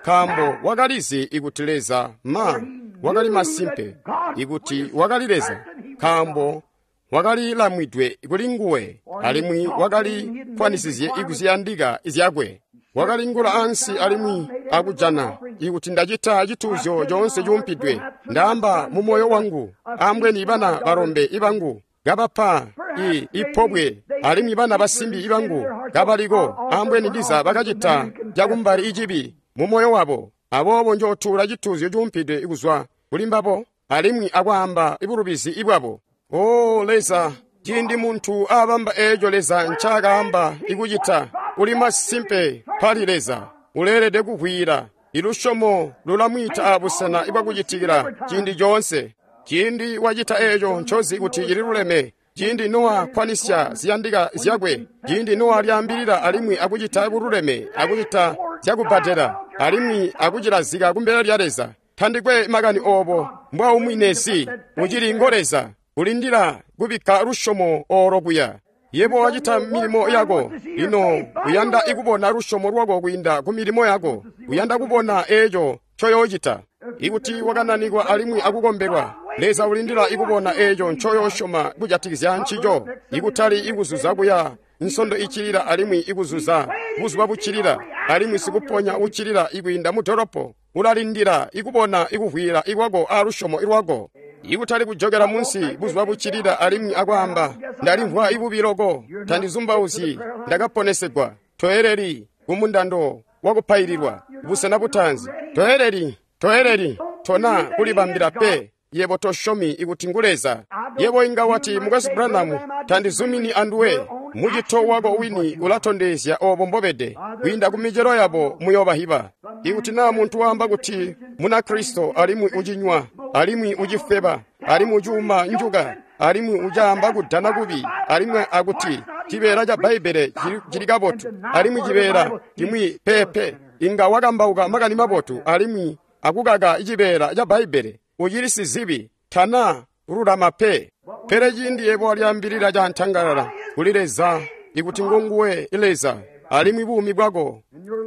nkaambo wakalizi ikuti Leza ma wakali masimpe ikuti wakali Leza, nkaambo wakali lamwidwe kuli nguwe, alimwi wakali kwanisizye ikuziyandika zyakwe. Wakalingula ansi alimwi akujana ikuti ndacita cituuzyo coonse cuumpidwe, ndaamba mu moyo wangu, ambweni bana balombe ibangu kabapa i ipobwe alimwi bana basimbi bangu kabaliko, ambweni ndiza bakacita cakumbali icibi mu moyo wabo, aboobo njootuula cituuzyo cuumpidwe kuzwa kuli mbabo, alimwi akwaamba bulubizi bwabo. O Leza, ciindi muntu abamba eeco Leza ncaakaamba ikucita, uli masimpe pali Leza, uleelede kuvwiila. Ilusyomo lulamwiita abusena bwakucitikila ciindi coonse. Ciindi wacita eeco ncozi kuti cililuleme, ciindi Nowa kkwanisya ziyandika zyakwe, ciindi Nowa lyaambilila alimwi akucita bululeme, akucita zyakubbadela, alimwi akucilazika kumbele lya Leza. Tandikwe makani oobo mbwaumwinesi, ucili ngo Leza, ulindila kubikka lusyomo oolo kuya. Yebo wacita milimo yako, lino uyanda ikubona lusyomo lwako kwiinda ku milimo yako, uyanda kubona eeco ncoyoocita. Ikuti wakananikwa alimwi akukombelwa, Leza ulindila ikubona eeco ncoyoosyoma kujatikizya ncico, ikutali ikuzuza kuya nsondo icilila alimwi ikuzuza buzuba bucilila, alimwi sikuponya ucilila ikwiinda mu dolopo. Ulalindila ikubona ikuvwiila ikwako alusyomo lwako. Ikutali kujokela munsi buzuba bucilila alimwi akwaamba, ndalimvwa ibubi loko, tandizumbauzyi, ndakaponesegwa. Toeleli kumundando wakupaililwa, busena butaanzi. Toeleli, toeleli, tona kulibambila pe. Yebo tosyomi ikuti ngu Leza. Yebo inga wati, Mukwesu Branham, tandizumini anduwe. Mucito wako wini ulatondezya oobo mbobede. Kwiinda ku micelo yabo muyoobahiba. Ikuti naa muntu waamba kuti Munakristo alimwi ucinywa, alimwi ucifeba, alimwi ucuuma njuka, alimwi ucaamba kudana kubi, alimwi akuti cibeela ca Bbaibbele cili kabotu, alimwi cibeela cimwi pepe, inga wakambauka makani mabotu alimwi akukaka cibeela ca Bbaibbele, ucili sizibi, tana lulama pe. Pele ciindi yebo walyaambilila cantangalala kuli Leza ikuti ngonguwe Leza, alimwi buumi bwako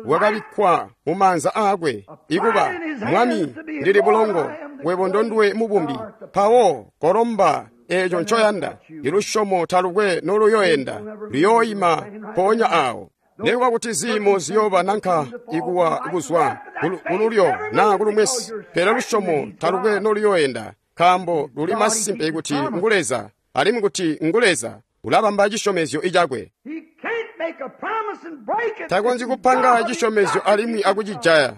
bwakabikkwa mu maanza aakwe, ikuba Mwami, ndili bulongo, webo ndonduwe mubumbi, mpawo kolomba eeco ncoyanda. Ilusyomo talukwe noluyoenda, luyooyima mpoonya aawo. Nekuba kuti ziimo ziyooba nanka ikuwa kuzwa kululyo naa kulumwesi, pele lusyomo talukwe noluyoenda, nkaambo luli masimpe kuti ngu Leza, alimwi kuti ngu Leza ulabamba cisyomezyo icakwe. Takonzyi kupanga cisyomezyo alimwi akucijaya.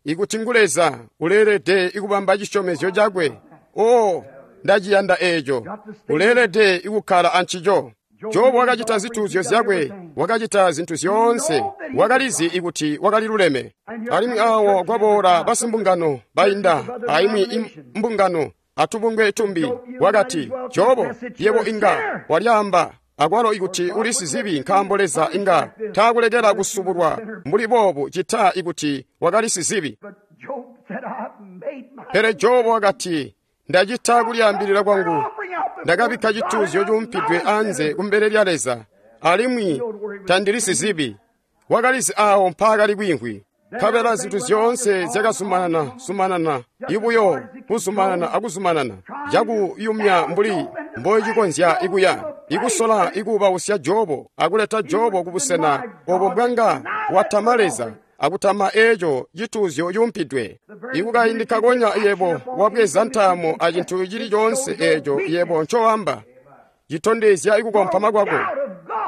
Ikuti ngu Leza, uleelede ikubamba cisyomezyo cakwe. O, ndaciyanda eeco. Uleelede ikukkala ancico. Jobu wakacita zituuzyo zyakwe, wakacita zintu zyoonse, wakalizi ikuti wakaliluleme. Alimwi awo kwaboola basimbungano bainda, aimwi mbungano atubungwe tumbi, wakati, Jobu, yebo inga walyaamba akwalo ikuti uli sizibi, nkaambo Leza inga taakulekela kusubulwa mbuli boobu cita ikuti wakali sizibi. Pele Jobu wakati, ndacita kulyaambilila kwangu, ndakabikka cituuzyo cuumpidwe anze kumbele lya Leza, alimwi tandili sizibi. Wakalizi aawo mpaakali kwiimvwi. Nkabela zintu zyoonse zyakazumanana zumanana, ibuyo kuzumanana akuzumanana, cakuyumya mbuli mbocikonzya ikuya, ikusola ikuubausya Jobu akuleta Jobu kubusena obo mbwanga watama Leza akutama eeco cituuzyo cuumpidwe. Ikukaindi kakonya yebo wabweza ntaamo acintu cili coonse eeco yebo ncoamba, citondezya ikukompama kwako,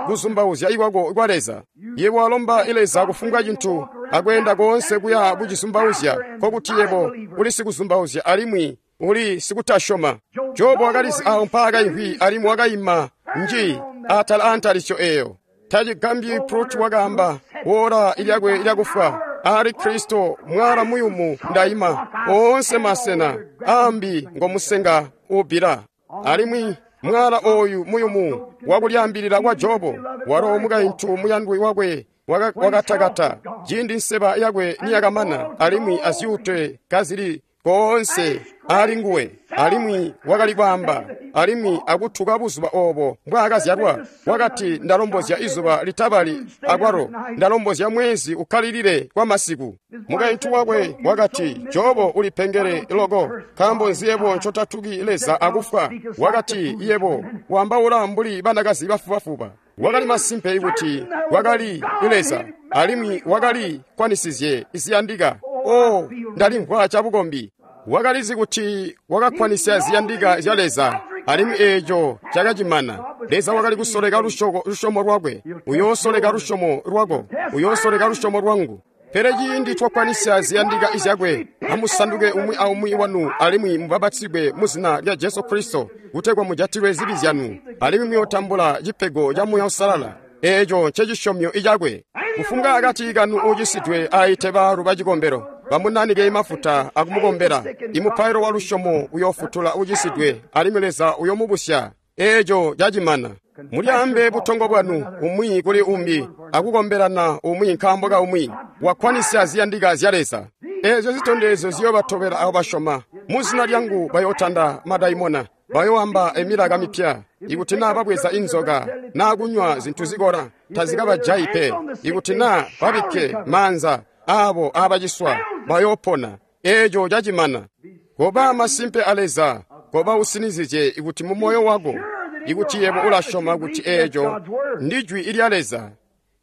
kuzumbauzya ikwako kwa Leza. Yebo walomba Leza kufumbwa cintu akweenda koonse kuya bucizumbauzya, nkokuti yebo uli sikuzumbauzya alimwi uli sikutasyoma. Jobu wakalizi awo mpaakaimvwi alimwi wakaima nji atala aantalisyo eeyo. Tacigambyi Prut wakaamba woola ilyakwe lyakufwa, ali Kristo mwala muyumu ndaima, oonse masena ambi ngomusenga ubbila. Alimwi mwala ooyu muyumu wakulyaambilila kwa Jobu, walo mukaintu muyandwi wakwe wakatakata ciindi nseba yakwe niyakamana, alimwi azyuute kazili koonse ali nguwe, alimwi wakali kwaamba alimwi akutuka buzuba oobo mbwaakazyalwa. Wakati, ndalombozya izuba litabali akwalo ndalombozya mwezi ukkalilile kwa masiku. Mukaintu wakwe wakati, Jobu ulipengele loko, nkaambo nzi yebo ncotatuki Leza akufwa? Wakati, yebo wambaula mbuli banakazi bafubafuba. Wakali masimpe kuti wakali Leza alimwi wakali kwanisizye ziyandika. O, ndalimvwa cabukombi. Wakalizi kuti wakakkwanisya ziyandika zya Leza, Alimwi eeco cakacimana. Leza wakali kusoleka lusyomo lwakwe. Uyoosoleka lusyomo lwako. Uyoosoleka lusyomo lwangu. Pele ciindi twakwanisya ziyandika izyakwe, amusanduke umwi aumwi wanu alimwi mubapatizigwe mu zina lya Jesu Kristo kutegwa mujatilwe zibi zyanu, alimwi muyootambula cipego ca Muuya Uusalala. Eeco ncecisyomyo icakwe. Kufumbwa akati kanu uucisidwe aite baalu bacikombelo, bamunanike mafuta akumukombela. Imupailo wa lusyomo uyoofutula uucisidwe, alimwi Leza uyoomubusya. Eeco cacimana. Mulyaambe butongo bwanu umwi kuli umbi akukombelana umwi nkaambo ka umwi. Wakwanisya ziyandika zya Leza. Eezyo zitondezyo ziyoobatobela abo basyoma. Mu zina lyangu bayootanda madaimona, bayoamba emilaka mipya. Ikuti naa babweza inzoka naa kunywa zintu zikola, tazikabajayi pe. Ikuti naa babikke maanza aabo aabaciswa, bayoopona. Eeco cacimana. Koba masimpe a Leza, koba usinizye ikuti mu moyo wako, ikuti yebo ulasyoma kuti eeco ndi jwi lya Leza.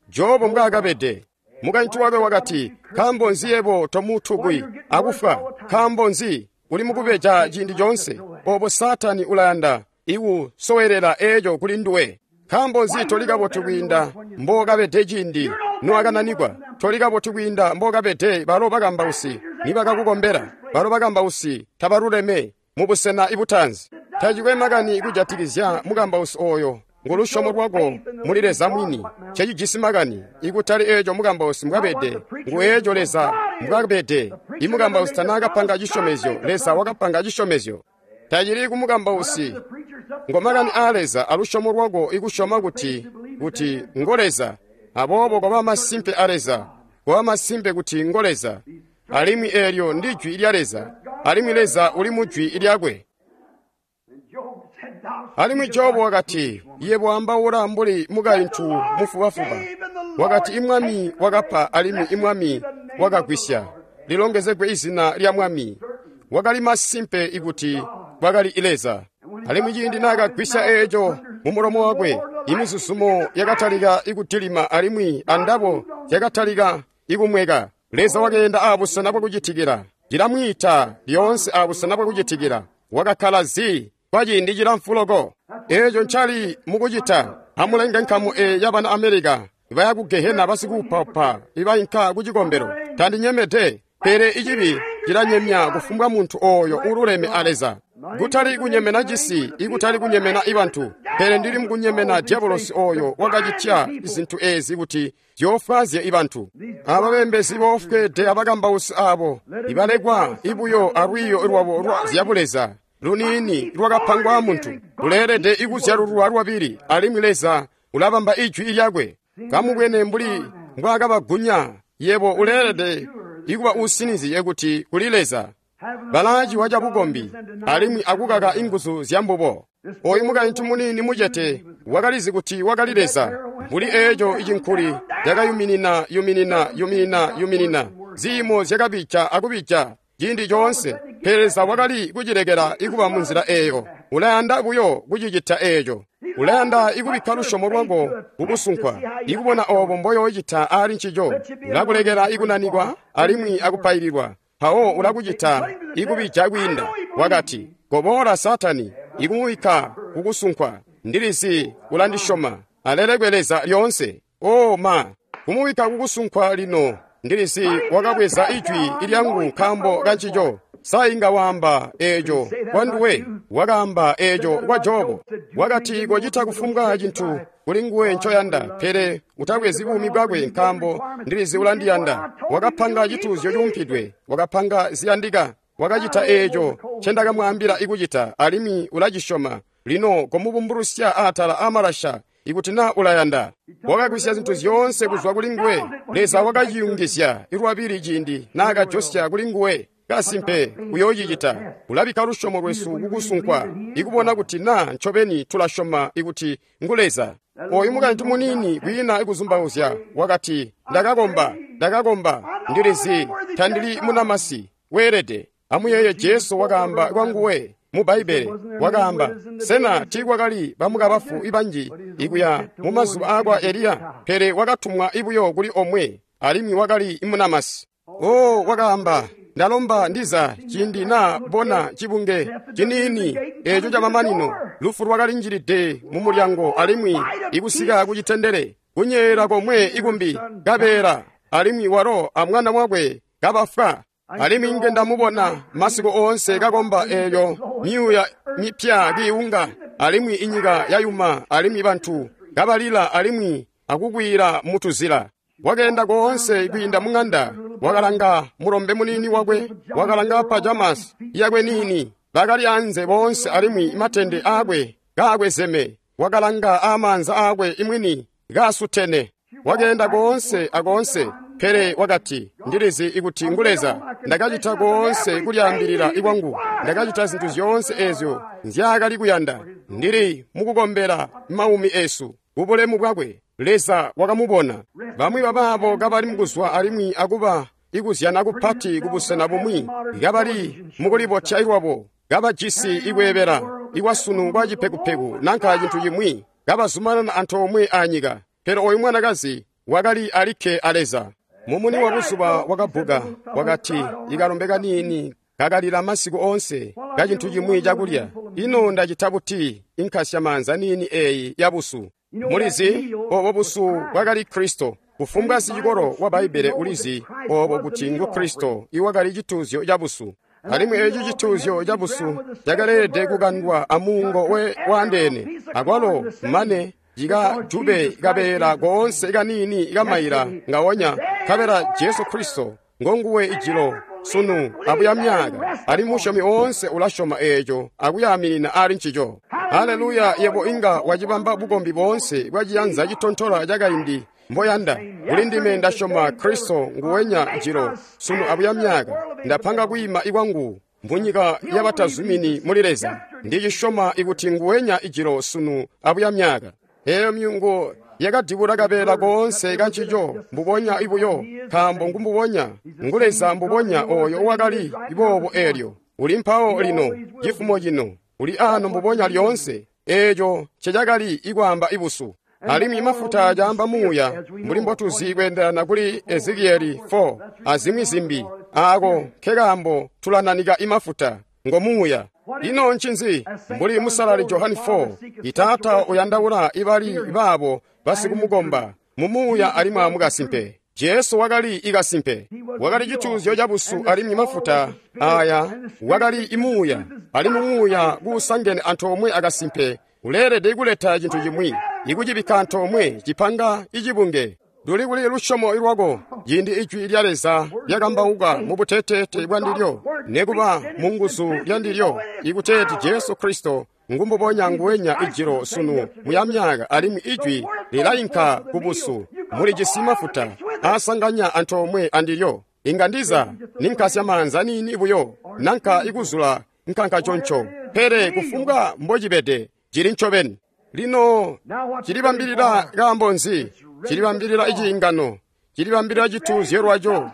Jobu mbwaakabede. Mukaintu wakwe wakati, nkaambo nzi yebo tomutukwi akufwa? Nkaambo nzi uli mukubeja ciindi coonse? Obo Saatani ulayanda ikusowelela eeco kuli nduwe. Nkaambo nzi toli kabotu kwiinda mbookabede ciindi nowakananikwa? Toli kabotu kwiinda mbookabede balo bakambausi nibakakukombela. Balo bakambausi tabaluleme mubusena ibutaanzi. Tacikwe makani kujatikizya mukambausi oyo, ngu lusyomo lwako muli Leza mwini cecijisi makani, ikutali eeco mukambausi mbwabede, ngu eeco Leza mbwabede. Imukambausi tanaakapanga cisyomezyo, Leza wakapanga cisyomezyo. Tacili kumukambausi, ngo makani aa Leza alusyomo lwako ikusyoma kuti kuti ngo Leza. Aboobo koba masimpe a Leza, koba masimpe kuti ngo Leza. Alimwi eelyo ndi jwi lya Leza, alimwi Leza uli mu jwi lyakwe. Alimwi Jobu wakati, yebo ambaula mbuli mukaintu mufubafuba. Wakati imwami wakapa alimwi imwami wakagwisya. Lilongezegwe izina lya mwami. Wakali masimpe ikuti kwakali Leza. Alimwi ciindi naakagwisya eeco mu mulomo wakwe, imizuzumo yakatalika ikutilima alimwi andabo yakatalika ikumweka. Leza wakeenda aabusena bwakucitikila. Ndilamwiita lyoonse aabusena bwakucitikila. Wakakkala zi kwa ciindi cilamfu loko. Eeco ncali mukucita. Amulenge nkamu eyi yabana Amerika baya ku Gehena basikuupaupa ibainka ku cikombelo. Tandinyemede, pele icibi cilanyemya kufumbwa muntu ooyo uululeme a Leza. Kutali kunyemena cisi, ikutali kunyemena ibantu, pele ndili mukunyemena diabolosi ooyo wakacitya zintu eezi kuti zyoofwaazye ibantu. Aba beembezi boofweede abakambausi aabo ibalekwa ibuyo alwiiyo lwabo lwa zyabuleza luniini lwakapangwa muntu, luleelede ikuzyalulwa lwabili, alimwi Leza ulabamba ijwi lyakwe. Kamubwene mbuli mbwaakabagunya, yebo uleelede ikuba usinizye kuti kuli Leza. Balaaciwa cabukombi alimwi akukaka inguzu zyambubo. Oyu mukaintu muniini mucete wakalizi kuti wakali Leza. Mbuli eeco icinkuli cakayuminina yuminina yuminina yuminina, ziimo zyakabija akubija ciindi coonse, pele Leza wakali kucilekela ikuba munzila eeyo. Ulayanda buyo kucicita eeco. Ulayanda ikubikka lusyomo lwako kukusunkwa, ikubona oobo mboyoocita aali ncico. Ulakulekela ikunanikwa alimwi akupaililwa, mpawo ulakucita ikubija kwiinda. Wakati, koboola Saatani, ikumubikka kukusunkwa. Ndilizi ulandisyoma. Alelekwe Leza lyoonse. O ma, kumubikka kukusunkwa lino. Ndilizi wakabweza ijwi lyangu nkaambo kancico. Sa inga waamba eeco kwa nduwe? Wakaamba eeco kwa Jobu. Wakati kocita kufumbwa cintu kuli nguwe ncoyanda, pele utabwezi buumi bwakwe nkaambo ndilizi ulandiyanda. Wakapanga cituuzyo cuumpidwe, wakapanga ziyandika, wakacita eeco ncendakamwaambila ikucita, alimwi ulacisyoma. Lino komubumbulusya atala aamalasha ikuti naa ulayanda. Wakagwisya zintu zyoonse kuzwa kuli nguwe. Leza wakaciyungizya lwabili ciindi naakajosya kuli nguwe. Kasimpe uyoocicita. Ulabikka lusyomo lwesu kukusunkwa, ikubona kuti naa ncobeni tulasyoma ikuti ngu Leza. Oyu mukaintu muniini kwiina ikuzumbauzya wakati, ndakakomba, ndakakomba, ndilizi tandili munamasi weelede. Amuyeeye Jesu wakaamba kwa nguwe mu Bbaibbele, wakaamba, sena tiikwakali bamukabafu ibanji ikuya mu mazuba aakwa Eliya? Pele wakatumwa ibuyo kuli omwe, alimwi wakali munamasi. O wakaamba, Ndalomba ndiza ciindi na bona cibunge ciniini eco camamanino, lufu lwakalinjilide mu mulyango alimwi ikusika ku citendele, kunyeela komwe ikumbi kabeela, alimwi walo amwana wakwe kabafwa. Alimwi nge ndamubona masiku oonse kakomba eeyo myuuya mipya kiiwunga, alimwi inyika yayuma, alimwi bantu kabalila alimwi akukwiila mutuzila. Wakeenda koonse kwiinda mung'anda, wakalanga mulombe muniini wakwe, wakalanga pajamas yakwe niini, bakali anze boonse alimwi matende aakwe kaakwezeme, wakalanga amaanza aakwe imwini kaasutene. Wakeenda koonse akoonse, pele wakati, ndilizi ikuti ngu Leza. Ndakacita koonse kulyaambilila ikwangu, ndakacita zintu zyoonse eezyo nzyaakali kuyanda. Ndili mukukombela maumi esu kubulemu bwakwe. Leza wakamubona. Bamwi babaabo kabali mukuzwa alimwi akuba ikuzyana kupati kubusena bumwi, kabali mukulibotya lwabo, kabajisi ikweebela ikwasunu kwa cipekupeku nanka cintu cimwi, kabazumanana antoomwe anyika. Pele oyu mwanakazi wakali alikke a Leza. Mumuni wa buzuba wakabbuka, wakati, ikalombe kaniini kakalila masiku oonse kacintu cimwi cakulya. Ino ndacita buti inkasya maanza niini eeyi yabusu? Mulizi obo busu bwakali Kristo. Kufumbwa sicikolo wa Bbaibbele ulizi obo kuti ngu Kristo iwakali cituuzyo cabusu. Alimwi eeci cituuzyo cabusu cakaleelede kukandwa amuungo we waandeene, akwalo mane cikajube kabeela koonse kaniini kamaila ngawonya, nkabela Jesu Kristo ngonguwe ijilo, sunu abuya myaka. Ali musyomi oonse ulasyoma eeco akuyaaminina ali ncico. Haleluya! Yebo inga wacibamba bukombi boonse bwaciyanza citontola cakaindi mboyanda. Kuli ndime ndasyoma Kristo nguwenya jilo, sunu abuya myaka. Ndapanga kwiima ikwangu munyika yabatazumini muli Leza. Ndicisyoma ikuti nguwenya ijilo, sunu abuya myaka. Eeyo myungo yakadibula kabeela koonse kancico mbubonya ibuyo, nkaambo ngumbubonya ngu Leza mbubonya oyo wakali boobo eelyo. Uli mpawo lino, cifumo cino, uli ano mbubonya lyoonse. Eeco ncecakali ikwaamba ibusu. Alimwi mafuta caamba muuya, mbuli mbotuzi kweendelana kuli Ezekieli four azimwi zimbi. Aako nkekaambo tulananika imafuta ngo muuya. Ino ncinzi? Mbuli musalali Johani four, itaata uyandaula ibali baabo basikumukomba mumuuya alimwi amukasimpe. Jesu wakali ikasimpe, wakali cituuzyo cabusu alimwi mafuta aya wakali imuuya, alimwi muuya kuusangene antoomwe akasimpe uleelede kuleta cintu cimwi, ikucibikka antoomwe cipanga icibunge. Luli kuli lusyomo lwako ciindi ijwi lya Leza lyakambauka mu buteteete bwa ndilyo, nekuba mu nguzu lya ndilyo, ikuteeti Jesu Kristo ngumbubonya nguwenya ijilo, sunu muya myaka, alimwi ijwi lilainka kubusu. Mulijisi mafuta aasanganya antoomwe andilyo. Inga ndiza ninkasya maanza niini buyo nanka ikuzula nkanka conco, pele kufumbwa mbocibede cili ncobeni. Lino cilibambilila kaambo nzi? Cilibambilila iciingano, cilibambilila cituuzyo lwaco.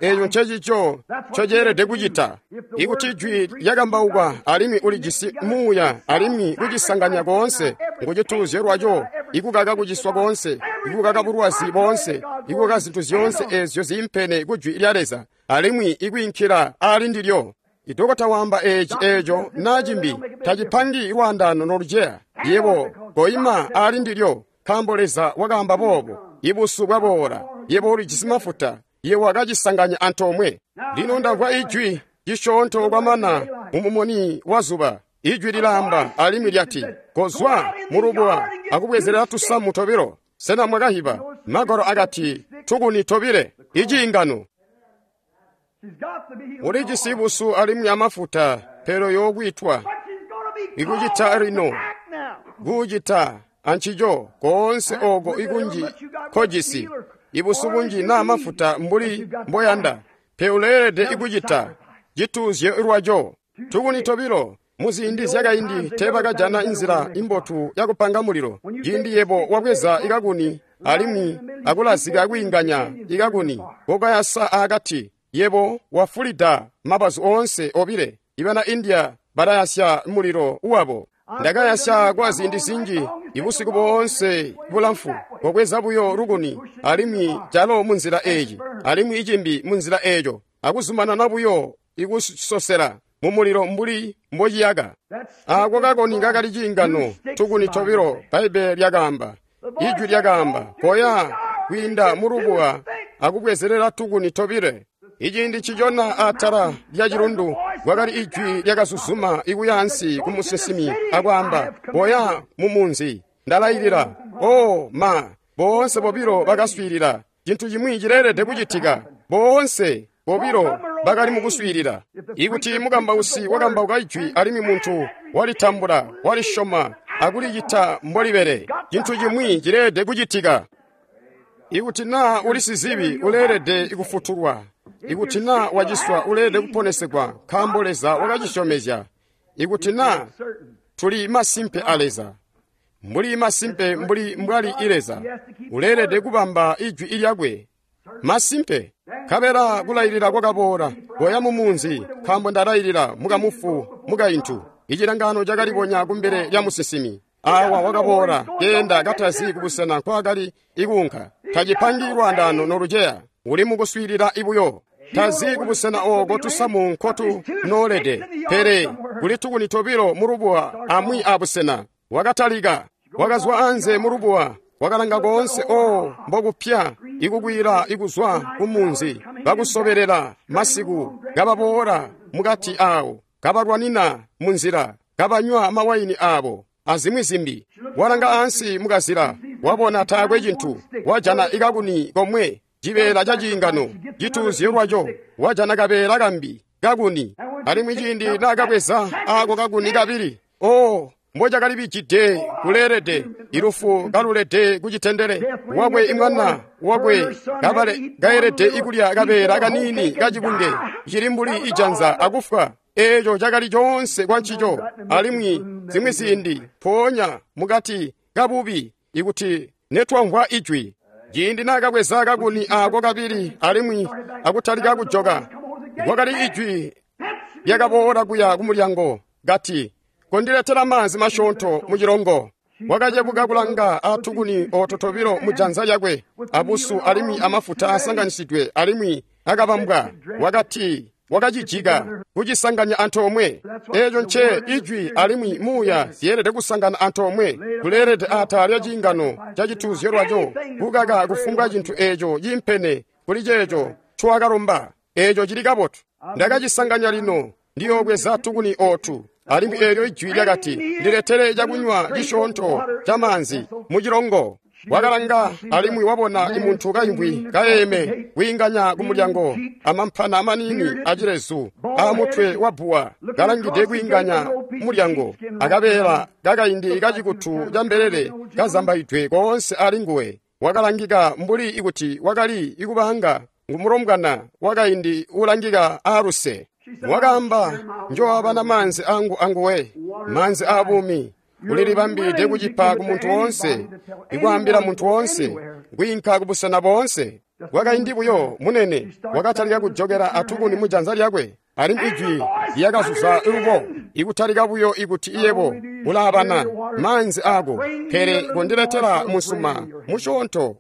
Eeco ncecico ncoceelede kucita. Ikuti jwi lyakambauka alimwi ulijisi muuya alimwi kucisanganya koonse ngucituuzyo lwaco, ikukaka kuciswa koonse, ikukaka bulwazi boonse, ikukaka zintu zyoonse eezyo ziimpene ku jwi lya Leza, alimwi ikwiinkila ali ndilyo. Idokota waamba eeci eeco naa cimbi tacipangi lwaandaano noluceya. Yebo koima ali ndilyo, nkaambo Leza wakaamba boobo. Ibusu bwaboola, yebo ulijisi mafuta, yebo wakacisanganya antoomwe. Lino ndamvwa ijwi cisyoonto kwamana mumumuni wa zuba. Ijwi lilaamba alimwi lyati, kozwa mulubuwa akubwezerera tusamu tobilo. Sena mwakahiba? Magwalo akati tukuni tobile, iciingano. Ulijisi busu alimwi amafuta, pele yokwitwa ikucita lino kucita ancico koonse oko ikunji kojisi ibusu bunji naa mafuta mbuli mboyanda, pe uleelede ikucita cituuzyo lwaco. Tukuni tobilo. Muziindi zyakaindi teebakajana inzila imbotu yakupanga mulilo. Ciindi yebo wabweza ikakuni alimwi akulazika kwiinganya ikakuni kokayasa akati, yebo wafulida mabazu oonse obile. Ibana India balayasya mulilo wabo. Ndakayasya kwa ziindi zinji ibusiku boonse bulamfu, kobweza buyo lukuni alimwi calo munzila eyi alimwi icimbi munzila eyo, akuzumanana buyo ikusosela mumulilo mbuli mbociyaka. Ako kakoni kakali ciingano, tukuni tobilo. Bbaibbele lyakaamba, Ijwi lyakaamba, koya kwiinda mulubuwa akubwezelela tukuni tobile. Iciindi ncicona atala lya cilundu kwakali ijwi lyakazuzuma ikuya ansi ku musinsimi akwaamba, koya mu munzi, ndalailila. Oh ma, boonse bobilo bakaswiilila. Cintu cimwi cileelede kucitika. Boonse bobilo bakali mukuswiilila. Ikuti mukambausi wakambauka ijwi alimwi muntu walitambula, walisyoma akulicita mbolibele, cintu cimwi cileelede kucitika. Ikuti naa uli sizibi, uleelede kufutulwa. Ikuti naa waciswa, uleelede kuponesegwa, nkaambo Leza wakacisyomezya. Ikuti naa tuli masimpe a Leza, mbuli masimpe mbuli mbwali i Leza, uleelede kubamba ijwi lyakwe. Masimpe. Nkabela kulailila kwakaboola, koya mu munzi, nkaambo ndalailila mukamufu mukaintu. Icilangano cakalibonya kumbele lya musinsimi. Awa wakaboola, keenda katazi kubusena nkwaakali ikuunka. Tacipangi lwaandaano noluceya, uli mukuswiilila ibuyo. Tazi kubusena ooko tusamu nkotu noolede, pele kuli tukuni tobilo mulubuwa amwi abusena. Wakatalika, wakazwa anze mulubuwa, wakalanga koonse oo mbokupya ikukwila ikuzwa kumunzi, bakusobelela masiku, kababoola mukati awo, kabalwanina munzila, kabanywa mawayini abo azimwi zimbi. Walanga ansi mukazila, wabona taakwe cintu, wajana ikakuni komwe, cibeela ca ciingano cituuzyo lwaco, wajana kabeela kambi kakuni. Alimwi ciindi naakabweza ako kakuni kabili, oo mbocakalibijide kuleelede, ilufu kalulede kucitendele wakwe imwana wakwe kabale kaelede ikulya kabeela kaniini kacibunge cili mbuli ijanza akufwa. Eeco cakali coonse kwa ncico. Alimwi zimwi ziindi mpoonya mukati kabubi ikuti netwamvwa ijwi. Ciindi naakabweza kakuni ako kabili alimwi akutalika kujoka, kwakali ijwi lyakaboola kuya kumulyango kati, kondiletela maanzi masyoonto mucilongo. Wakacebuka kulanga atukuni ooto tobilo mujanza lyakwe, abusu alimwi amafuta asanganisidwe alimwi akabambwa. Wakati wakacijika kucisanganya antoomwe. Eeco nce ijwi alimwi muuya zyeelede kusangana antoomwe. Kuleelede atala lya ciingano ca cituuzyo lwaco, kukaka kufumbwa cintu eeco ciimpene kuli ceeco ncowakalomba. Eeco cili kabotu. Ndakacisanganya lino, ndiyoobweza tukuni ootu. Alimwi eelyo ijwi lyakati, ndiletele cakunywa cisyoonto ca maanzi mucilongo. Wakalanga alimwi wabona imuntu kaimvwi kayeeme kwiinganya kumulyango, amampana maniini acilezu aamutwe wa bbuwa kalangide kwiinganya mulyango, akabeela kakaindi kacikutu ca mbelele kazambaidwe koonse alinguwe. Wakalangika mbuli ikuti wakali ikubaanga ngumulombwana wakaindi ulangika aaluse. Wakaamba, njoabana maanzi angu anguwe, maanzi aabuumi. Ulilibambilide kucipa ku muntu woonse, ikwaambila muntu woonse, kwiinka kubusena boonse. Kwakaindi buyo munene wakatalika kujokela atukuni mujanza lyakwe, alimwi ijwi lyakazuza lubo, ikutalika buyo ikuti iyebo ulaabana maanzi ako, pele kondiletela musuma musyoonto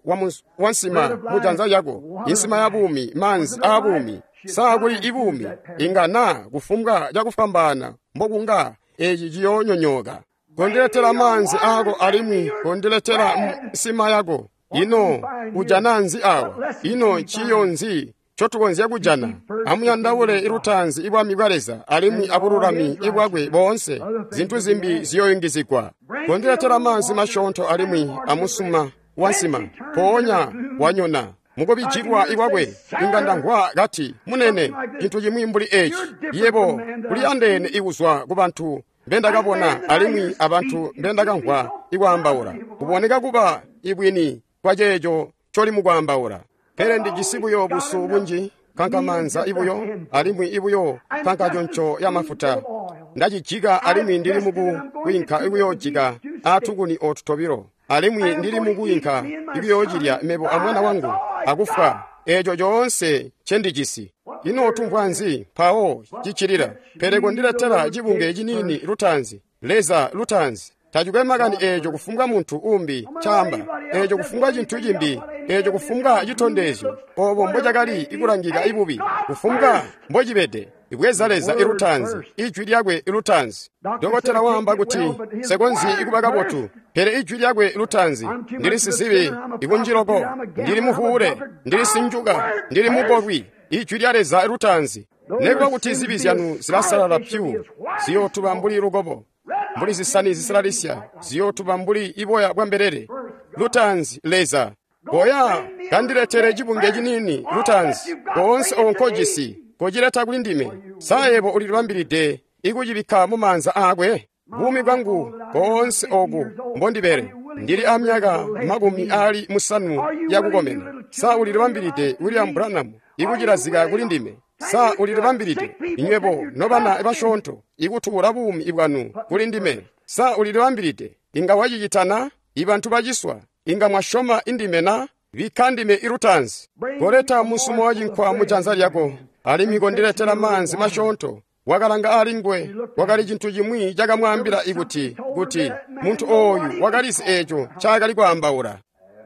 wa nsima mujanza lyako, insima ya buumi, maanzi aabuumi. Saa kuli ibuumi inga naa kufumbwa cakufwambaana mbokunga eci ciyoonyonyooka. Kondiletela maanzi ako alimwi kondiletela nsima yako. Ino ujana nzi awa? Ino ciyo nzi ncotukonzya kujana? Amuyandaule ilutaanzi ibwami bwa Leza alimwi abululami ibwakwe boonse, zintu zimbi ziyoyungizigwa. Kondiletela maanzi masyoonto alimwi amusuma wa nsima. Mpoonya wanyona mukubijilwa ikwakwe inga ndamvwa kati, munene, cintu cimwi mbuli eci. Yebo uliandeene ikuzwa ku bantu mbendakabona alimwi abantu mbendakamvwa ikwaambaula. Kuboneka kuba ibwini kwa ceeco ncoli mukwaambaula. Pele ndijisi buyo busu bunji, kankamanza ibuyo, alimwi ibuyo kankaconco ya mafuta. Ndacijika alimwi ndili mukwiinka ikuyoojika atukuni ootu tobilo. Alimwi ndili mukwiinka ikuyoocilya mebo amwana wangu akufwa. Eeco coonse ncendijisi. Ino tumvwa nzi mpawo ciccilila? Pele kondiletela cibunge ciniini lutaanzi, Leza lutaanzi. Tacikwe makani eeco kufumbwa muntu umbi caamba, eeco kufumbwa cintu cimbi, eeco kufumbwa citondezyo, obo mbocakali ikulangika ibubi, kufumbwa mbocibede. Ibweza Leza ilutaanzi, ijwi lyakwe ilutaanzi. Dokotela waamba kuti nsekonzyi ikuba kabotu, pele ijwi lyakwe lutaanzi. Ndili sizibi ikunjiloko, ndili muvuule, ndili sinjuka, ndili mukolwi. Ijwi lya Leza lutaanzi. Nekuba kuti zibi zyanu zilasalala pyu, ziyootuba mbuli lukobo, mbuli zisani zisalalisya, ziyootuba mbuli iboya bwa mbelele. Lutaanzi Leza. Koya kandiletere cibunge ciniini lutaanzi, koonse oko nkojisi, kocileta kuli ndime. Sa yebo ulilibambilide ikucibikka mu maanza aakwe? Buumi bwangu koonse oku mbondibele, ndili a myaka makumi aali musanu yakukomena. Sa ulilibambilide William Branham ikucilazika kuli ndime? Sa ulilibambilide inywebo nobana basyoonto ikutuula buumi bwanu kuli ndime? Sa ulilibambilide? Inga wacicitana? Ibantu baciswa inga mwasyoma indime na? Bikka ndime ilutaanzi. Koleta musumo wa cinkwa mu janza lyako, alimwi kondiletela maanzi masyoonto. Wakalanga aali nguwe, kwakali cintu cimwi cakamwaambila ikuti kuti muntu ooyu wakalizi eeco ncaakali kwaambaula.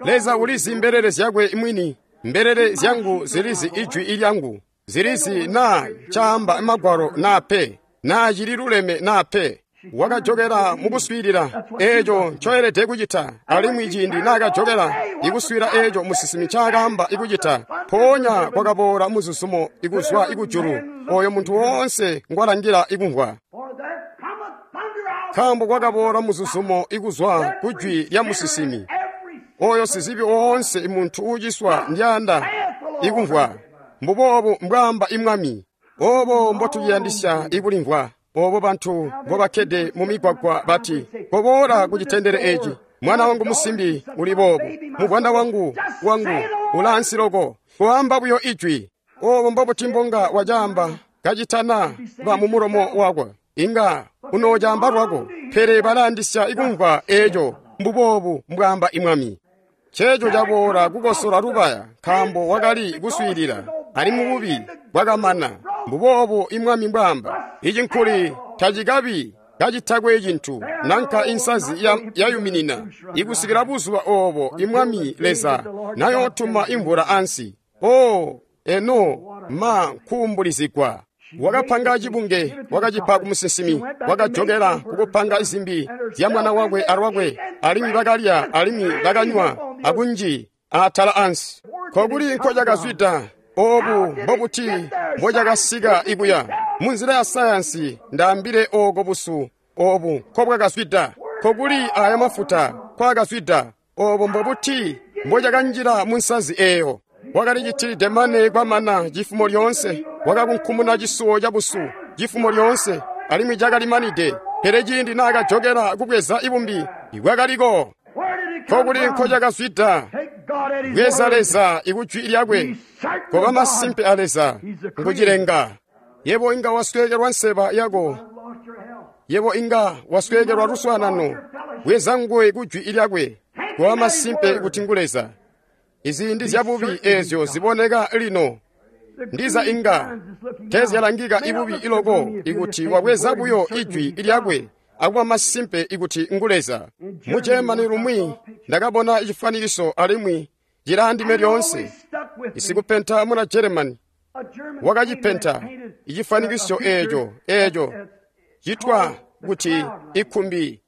Leza ulizi mbelele zyakwe mwini. Mbelele zyangu zilizi ijwi ilyangu, zilizi naa caamba magwalo naa pe, naa cililuleme naa pe. Wakajokela mukuswiilila eeco ncoelede kucita, alimwi ciindi naakajokela ikuswiila eeco musinsimi ncaakaamba ikucita, mpoonya kwakaboola muzuzumo ikuzwa ikujulu, oyo muntu woonse ngwalangila ikumvwa. Nkaambo kwakaboola muzuzumo ikuzwa kujwi lya musinsimi, oyo sizibi woonse muntu uuciswa ndyanda ikumvwa. Mbuboobu mbwaamba imwami. Obo mbotuyandisya ikulimvwa. Obo bantu mbobakkede mu migwagwa bati, koboola ku citendele eci. Mwana wangu musimbi uli boobu, muvwanda wangu wangu ulaansi loko. Koamba buyo ijwi. Obo mbobuti mbonga wacaamba kacitana ba mu mulomo wakwe, inga unoocamba lwako. Pele balayandisya ikumvwa eeco. Mbuboobu mbwaamba imwami. Cheecho caboola kukosola lubaya, nkaambo wakali kuswiilila, alimwi bubi bwakamana. Mbuboobu imwami mbwaamba. Ichi nkuli tacikabi kacitakwe cintu, nanka insazi yayuminina, ikusikila buzuba obo imwami Leza nayootuma imvula ansi. O eno ma nkuumbulizigwa. Wakapanga cibunge, wakacipa ku musinsimi, wakajokela kukupanga zimbi zya mwana wakwe alwakwe, alimwi bakalya alimwi bakanywa akunji atala ansi. Kokuli nkocakazwida? Obu mbobuti mbocakasika ikuya? Munzila ya sayansi ndaambile oko busu obu nkobwakazwida. Kokuli aya mafuta kwakazwida? Obo mbobuti mbocakanjila mu nsazi eeyo? Wakalicitilide mane kwamana cifumo lyoonse, wakakunkumuna cisuwo cabusu cifumo lyoonse, alimwi cakalimanide. Pele ciindi naakajokela kubweza ibumbi, bwakaliko. Kokuli nkocakazwida? Bweza Leza ikujwi lyakwe, koba masimpe a Leza ngucilenga. Yebo inga wasweekelwa nseba yako, yebo inga wasweekelwa luswaanano. Bweza nguwe kujwi lyakwe, koba masimpe kuti ngu Leza. Iziindi zyabubi eezyo ziboneka lino ndiza inga tezyalangika ibubi iloko ikuti wabweza buyo ijwi lyakwe akuba masimpe ikuti ngu Leza. Mu Germany lumwi ndakabona cifwanikiso alimwi cilaandime lyoonse. Isikupenta muna Germany wakacipenta icifwanikiso eeco eeco citwa kuti ikkumbi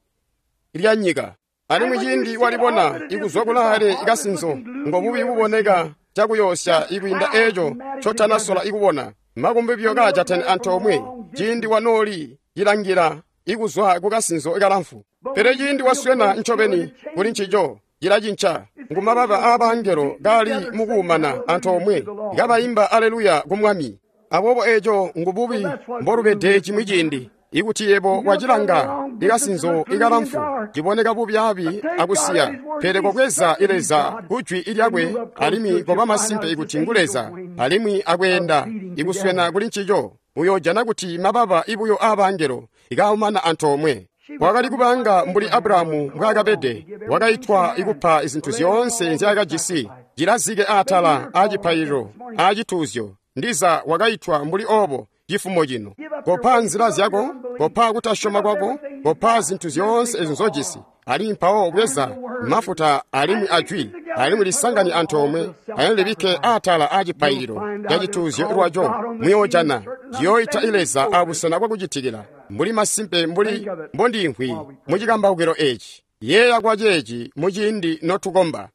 lya nyika. Alimwi ciindi walibona ikuzwa kulaale ikasinzo, ngobubi buboneka cakuyoosya ikwiinda eeco ncotanasola ikubona. Makumbi buyo kaajatene antoomwe ciindi wanooli cilangila ikuzwa kukasinzo kalamfu. Pele ciindi waswena ncobeni kuli ncico cilacinca. Ngumababa aabangelo kaali mukuumana antoomwe kabaimba aleluya ku Mwami. Aboobo eeco ngububi mbolubede cimwi ciindi. Ikuti yebo wacilanga ikasinzo ikalamfu ciboneka bubyaabi akusiya, pele kobweza Leza kujwi lyakwe alimwi koba masimpe ikuti ngu Leza, alimwi akweenda ikuswena kuli ncico, uyoojana kuti mababa ibuyo aabangelo ikaumana antoomwe. Wakali kubanga mbuli Abrahamu mbwaakabede, wakaitwa ikupa izintu zyoonse nzyaakajisi, cilazike atala acipaililo acituuzyo. Ndiza wakaitwa mbuli obo cifumo cino. Kopa nzila zyako, kopa kutasyoma kwako, kopa zintu zyoonse ezo nzojisi, alimwi mpawo bweza mafuta alimwi ajwi, alimwi lisangani antoomwe, alimwi libikke atala a cipaililo ca cituuzyo lwaco. Muyoojana ciyoita Leza abusena bwakucitikila, mbuli masimpe mbuli mbondimvwi mucikambaukilo eci. Yeeya kwa ceeci muciindi notukomba.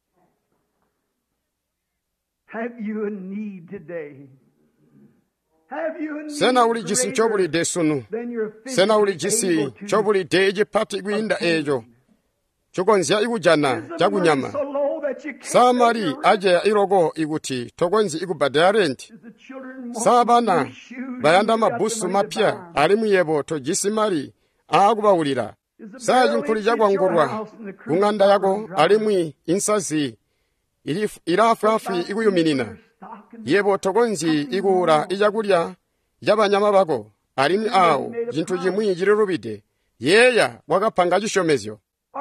Sena ulijisi ncobulide sunu? Sena ulijisi ncobulide cipati kwiinda eeco cukonzya ikujana cakunyama? Sa mali aceya iloko ikuti tokonzyi ikubbadela renti? Sa bana bayanda mabbusu mapya alimwi yebo tojisi mali aakubawulila? Sa cinkuli cakwangulwa kung'anda yako alimwi insazi ilaafwaafwi ikuyuminina? Yebo tokonzyi ikuula icakulya cabanyama bako, alimwi aawo cintu cimwi cililubide. Yeeya wakapanga cisyomezyo.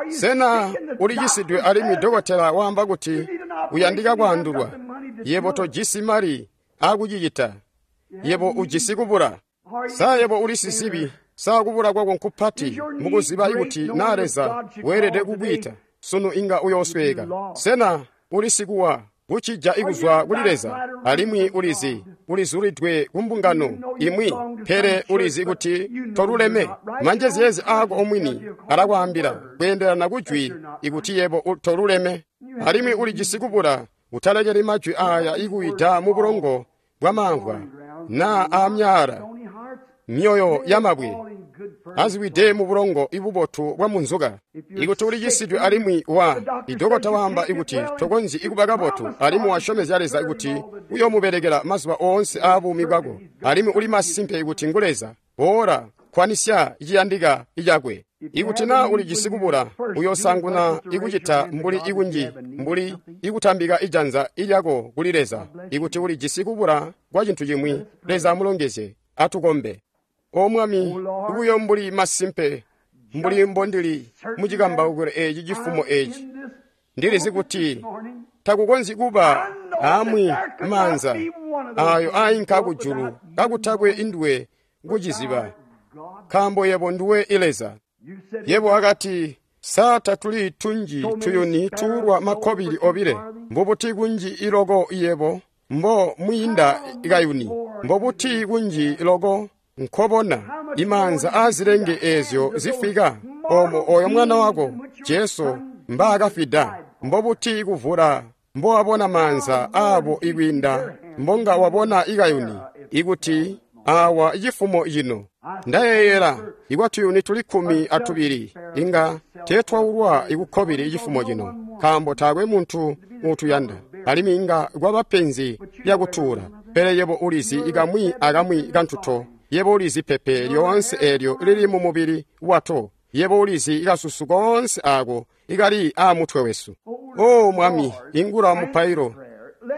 Sena ulicisidwe alimwi dokotela waamba kuti uyandika kwaandulwa? Yebo tojisi mali aakucicita. Yebo ujisi kubula. Sa yebo uli sizibi? Sa kubula kwako nkupati mukuziba ikuti naa Leza weelede kukwiita sunu inga uyoosweeka? Sena uli sikuwa kucija ikuzwa kuli Leza, alimwi ulizi ulizulidwe kumbungano imwi, pele ulizi kuti toluleme? Manjezyeezi aako omwini alakwaambila kweendelana kujwi ikuti yebo toluleme, alimwi ulijisi kubula. Utalekeli majwi aaya ikuwida mu bulongo bwamamvwa naa aamyaala myoyo yamabwe aziwide mu bulongo ibubotu bwa munzuka. Ikuti ulicisidwe alimwi wa idokota waamba ikuti tokonzyi ikuba kabotu, alimwi wasyomezya Leza kuti uyoomubelekela mazuba oonse aabuumi bwako, alimwi uli masimpe ikuti ngu Leza, boola kwanisya iciyandika icakwe. Ikuti naa ulijisi kubula, uyoosanguna ikucita mbuli ikunji mbuli ikutambika ijanza ilyako kuli Leza. Ikuti ulijisi kubula kwa cintu cimwi, Leza amulongezye. Atukombe. O Mwami, buyo mbuli masimpe mbuli mbondili mucikambaukilo eci cifumo eci, ndilizi kuti takukonzyi kuba amwi maanza ayo ainka kujulu kakutakwe induwe kuciziba, nkaambo yebo nduwe Leza. Yebo akati, sa tatuli tunji tuyuni tuulwa makkobili obile? Mbubuti kunji iloko yebo mbo mwiinda kayuni? Mbobuti kunji loko nkobona imaanza aazilenge eezyo zifika omo oyo mwana wako Jesu mbaakafida? Mbobuti kuvula mbowabona maanza aabo ikwiinda mbonga wabona ikayuni? Ikuti awa cifumo cino ndayeeyela ikwatuyuni tuli kkumi atubili inga teetwaulwa ikukkobili cifumo cino, nkaambo taakwe muntu uutuyanda, alimwi inga kwaba penzi lyakutuula. Pele yebo ulizi ikamwi akamwi kantuto. Yebo ulizi pepe lyoonse eelyo lili mu mubili wato. Yebo ulizi ikasusu koonse aako ikali aamutwe wesu. O Mwami, ingula mupailo.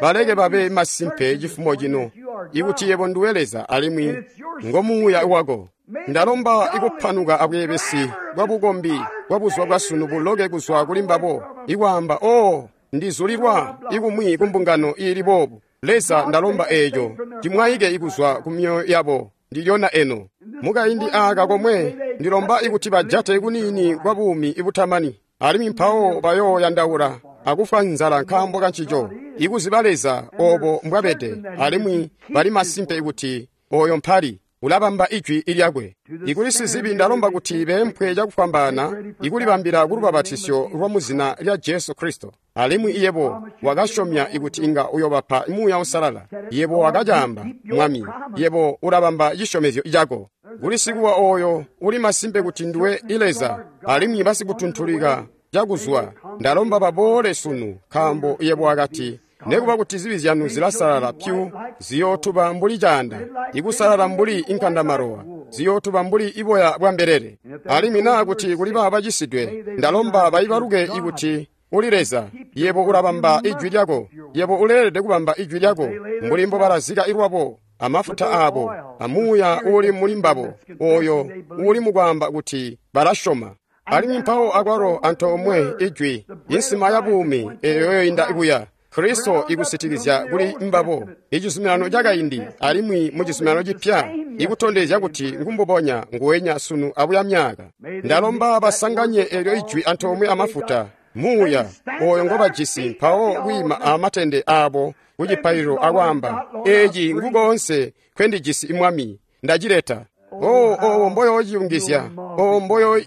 Baleke babe masimpe cifumo cino ikuti yebo nduwe Leza alimwi ngomuuya wako. Ndalomba ikupanuka abweebesi bwa bukombi bwa buzuba bwa sunu buloke kuzwa kuli mbabo, ikwaamba, o ndizulilwa ikumwi kumbungano iili boobu. Leza, ndalomba eeco cimwaike ikuzwa ku myoyo yabo ndilyona eno. Mukaindi aaka komwe ndilomba ikuti bajate kuniini kwa buumi ibutamani, alimwi mpawo bayooyandaula akufwa nzala nkaambo kancico, ikuziba Leza obo mbwabede, alimwi bali masimpe ikuti oyo mpali ulabamba ijwi ilyakwe. Ikuli sizibi ndalomba kuti beempwe cakufwambaana ikulibambila kulubabatisyo lwa muzina lya Jesu Kristo. Alimwi yebo wakasyomya ikuti inga uyobapa Muuya Uusalala. Yebo wakacaamba, Mwami, yebo ulabamba cisyomezyo cako. Kuli sikuwa oyo uli masimpe kuti nduwe Leza, alimwi basikutuntulika cakuzwa, ndalomba baboole sunu, nkaambo yebo wakati, nekuba kuti zibi zyanu zilasalala pyu, ziyootuba mbuli caanda, ikusalala mbuli inkandamalowa, ziyootuba mbuli iboya bwa mbelele. Alimwi naa kuti kuli baaba bacisidwe, ndalomba baibaluke ikuti uli Leza, yebo ulabamba ijwi lyako. Yebo uleelede kubamba ijwi lyako, mbuli mbobalazika ilwabo amafuta aabo amuuya uuli muli mbabo, oyo uuli mukwaamba kuti balasyoma. Alimwi mpawo akwalo antoomwe ijwi, insima ya buumi eyo yoinda kuya. Kristo ikusitikizya kuli mbabo icizuminano cakaindi alimwi mu cizuminano cipya ikutondezya kuti ngumbubonya nguwenya sunu abuya myaka. Ndalomba basanganye elyo ijwi antoomwe amafuta muuya oyo ngobajisi mpawo kwiima amatende aabo kucipaililo akwaamba, eeci ngukoonse kwendijisi Mwami, ndacileta. Oh, obo mboyoociyungizya, obo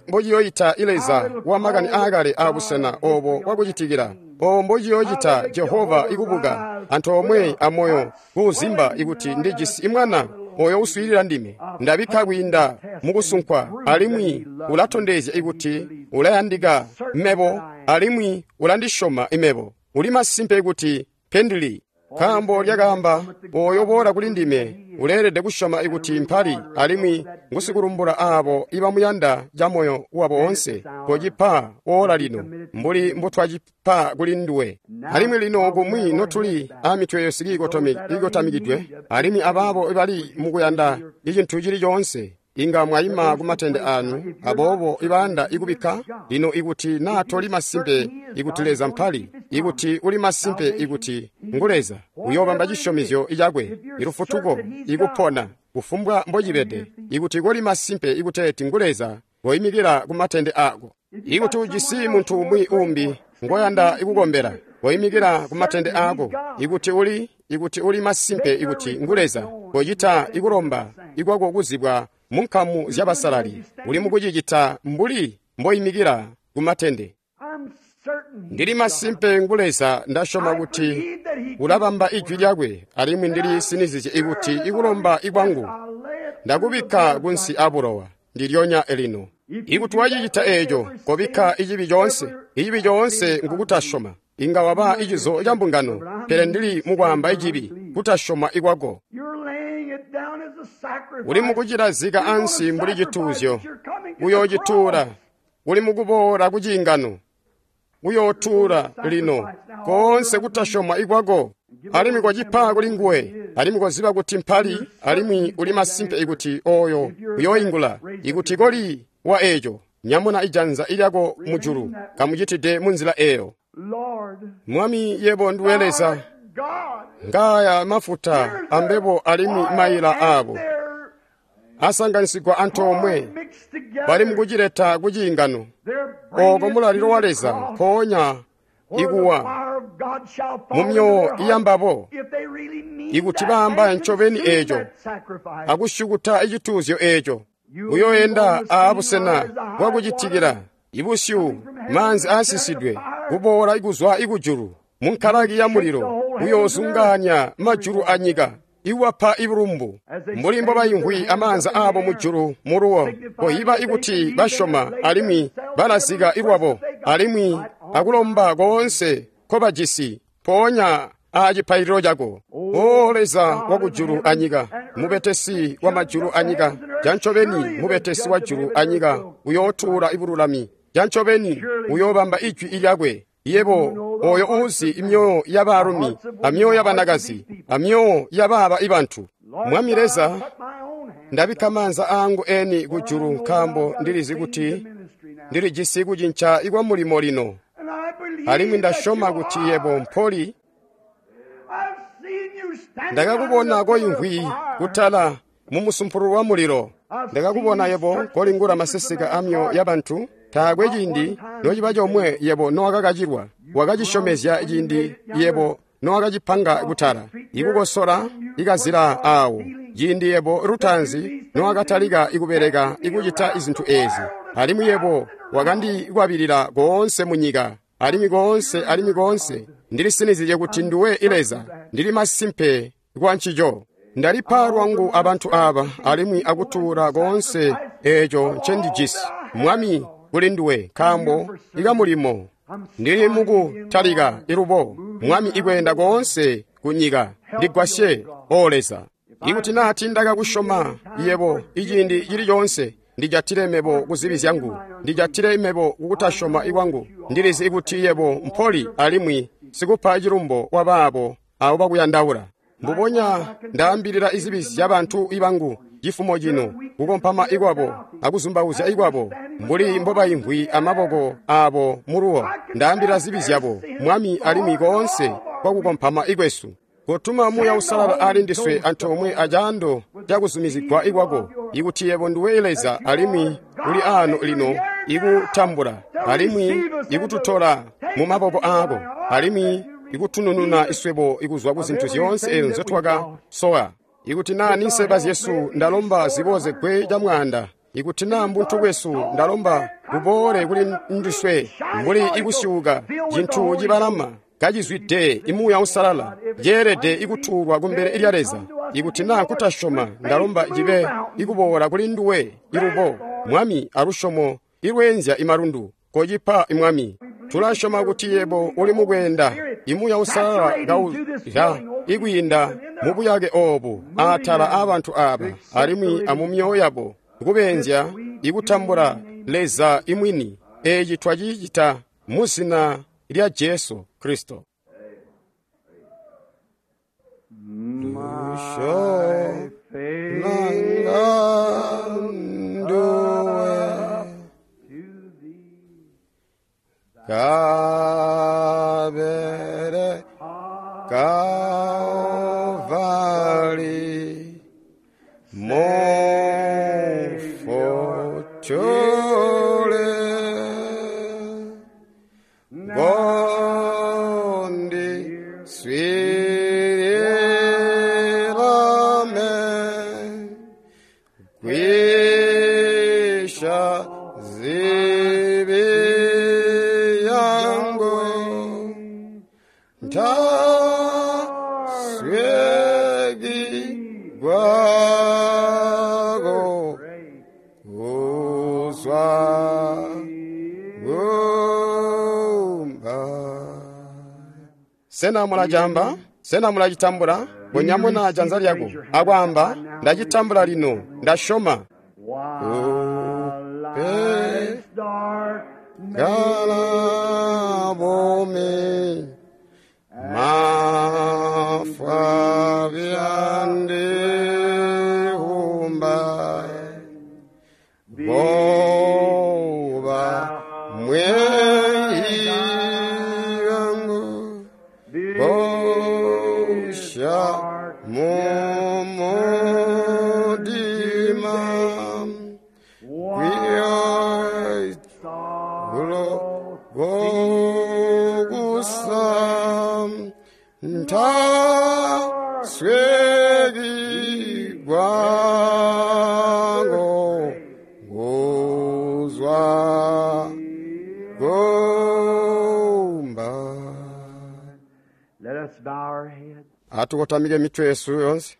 mbociyoyita Leza wa makani aakale aabusena obo bwakucitikila, obo mbociyoocita Jehova ikubuka antoomwe amoyo kuuzimba ikuti ndijisi mwana oyo uswiilila ndime. Ndabikka kwiinda mukusunkwa alimwi ulatondezya ikuti ulayandika mebo alimwi ulandisyoma imebo. Uli masimpe kuti pendili. Nkaambo lyakaamba, oyo boola kuli ndime uleelede kusyoma ikuti mpali alimwi ngusikulumbula aabo ibamuyanda camoyo wabo woonse. Kocipa oola lino mbuli mbutwacipa kuli nduwe. Alimwi lino kumwi notuli aamitwe yesu ikotamikidwe alimwi abaabo ibali mukuyanda icintu cili coonse, inga mwayima kumatende anu aboobo ibanda ikubikka lino ikuti naa toli masimpe ikuti Leza mpali, ikuti uli masimpe ikuti ngu Leza, uyoobamba cisyomezyo cakwe, ilufutuko, ikupona, kufumbwa mbocibede. Ikuti koli masimpe ikuteeti ngu Leza, koyimikila kumatende ako. Ikuti ujisi muntu umwi umbi ngoyanda ikukombela, koyimikila kumatende ako. Ikuti uli ikuti uli masimpe ikuti ngu Leza, kocita ikulomba ikwako kuzibwa munkamu zyabasalali. Uli mukucicita mbuli mboyimikila kumatende. Ndili masimpe ngu Leza, ndasyoma kuti ulabamba ijwi lyakwe, alimwi ndili sinizizye ikuti ikulomba ikwangu ndakubikka kunsi abulowa ndilyonya elino. Ikuti wacicita eeco, kobikka icibi coonse. Icibi coonse ngukutasyoma. Inga waba icizo ca mbungano, pele ndili mukwaamba icibi, kutasyoma ikwako. Uli mukucilazika ansi mbuli cituuzyo, uyoocituula. Uli mukuboola ku ciingano, uyootuula lino koonse kutasyoma ikwako, alimwi kocipa kuli nguwe, alimwi koziba kuti mpali, alimwi uli masimpe ikuti oyo uyooingula. Ikuti koli wa eeco, nyamuna ijanza ilyako mujulu, kamucitide munzila eeyo. Mwami, yebo nduwe Leza, ngaaya mafuta ambebo alimwi maila aabo asanganisigwa antoomwe, bali mukucileta ku ciingano oko mulalilo wa Leza mpoonya ikuwa mumyoyo iyambabo. Ikuti baamba ncobeni eeco akusyukuta icituuzyo eeco, uyoenda aabusena bwakucitikila ibusyu maanzi aasisidwe kuboola ikuzwa ikujulu munkalaki ya mulilo, uyoozungaanya majulu anyika iwapa ibulumbu mbuli mbobayimvwi amaanza aabo mujulu muluwo. Koyiba ikuti basyoma alimwi balazika ilwabo alimwi akulomba koonse nkobajisi mpoonya aacipaililo cako. O Leza wakujulu anyika, mubetesi wa majulu anyika, cancobeni mubetesi wa julu anyika uyootuula ibululami, cancobeni uyoobamba ijwi ilyakwe. Yebo oyo uuzi imyoyo yabaalumi amyoyo yabanakazi amyoyo yabaaba ibantu. Mwami Leza, ndabikka maanza aangu eni kujulu nkaambo ndilizi kuti ndilijisi kucinca ikwa mulimo lino, alimwi ndasyoma kuti yebo mpoli. Ndakakubona koimvwi kutala mumusumpulu wa mulilo, ndakakubona yebo kolingula maseseka amyoyo yabantu. Taakwe ciindi nociba comwe yebo nowakakacilwa, wakacisyomezya ciindi yebo nowakacipanga kutala, ikukosola ikazila aawo, ciindi yebo lutaanzi nowakatalika ikubeleka ikucita izintu eezi. Alimwi yebo wakandikwabilila koonse munyika, alimwi koonse alimwi koonse ndilisinizye kuti nduwe Leza, ndili masimpe kwa ncico. Ndalipa lwangu abantu aaba alimwi akutuula koonse eeco ncendijisi, Mwami, kuli nduwe, nkaambo ikamulimo ndili mukutalika ilubo, Mwami, ikweenda koonse kunyika. Ndigwasye, O Leza. Ikuti naa tiindakakusyoma yebo iciindi cili coonse, ndijatile mebo kuzibi zyangu, ndijatile mebo kukutasyoma ikwangu. Ndilizi ikuti yebo mpoli alimwi sikupa cilumbo wabaabo abo bakuyandaula. Mbubonya ndaambilila izibi zyabantu ibangu cifumo cino, kukompama ikwabo akuzumbauzya ikwabo, mbuli mbobayimvwi amaboko aabo muluwo. Ndaambila zibi zyabo, Mwami, alimwi koonse kwa kukompama ikwesu. Kotuma Muuya Uusalala ali ndiswe antoomwe acaando cakuzumizigwa ikwako, ikuti yebo nduwe Leza alimwi uli aano lino ikutambula alimwi ikututola mu maboko aako alimwi ikutunununa iswebo ikuzwa ku zintu zyoonse ezo nzotwakasowa. Ikuti naa ninseba zyesu ndalomba ziboozegwe camwaanda, ikuti naa mbuntu bwesu ndalomba buboole kuli ndiswe mbuli ikusyuuka cintu cibalama kacizwide imuuya Uusalala, ceelede ikutuulwa kumbele lya Leza. Ikuti naa kutasyoma ndalomba cibe ikuboola kuli nduwe ilubo, Mwami, alusyomo ilweenzya imalundu, kocipa Mwami. Tulasyoma kuti yebo uli mukweenda imuuya Uusalala kauya ikwiinda mubuyake oobu atala aabantu aaba alimwi amumyoyo yabo, kubeenzya ikutambula Leza imwini. Eeci twacicita mu zina lya Jesu Kristo. Kabere Kalvari Mofotole Gondi Swirame Kwisha Zibi yangu Ntaswegi gwako kuzwa gumba. Sena mulajamba? Sena mulacitambula? Bonyamuna janza lyako akwaamba, ndacitambula lino, ndasyoma. While life's dark Gala bomi mafwa byandihumba boba mweyigangu bosha mumudima kwiyo gulo gogusa ntaswegi gwango guzwa gumba. Let us bow our heads. Atukotamike mitwe yesu yonse.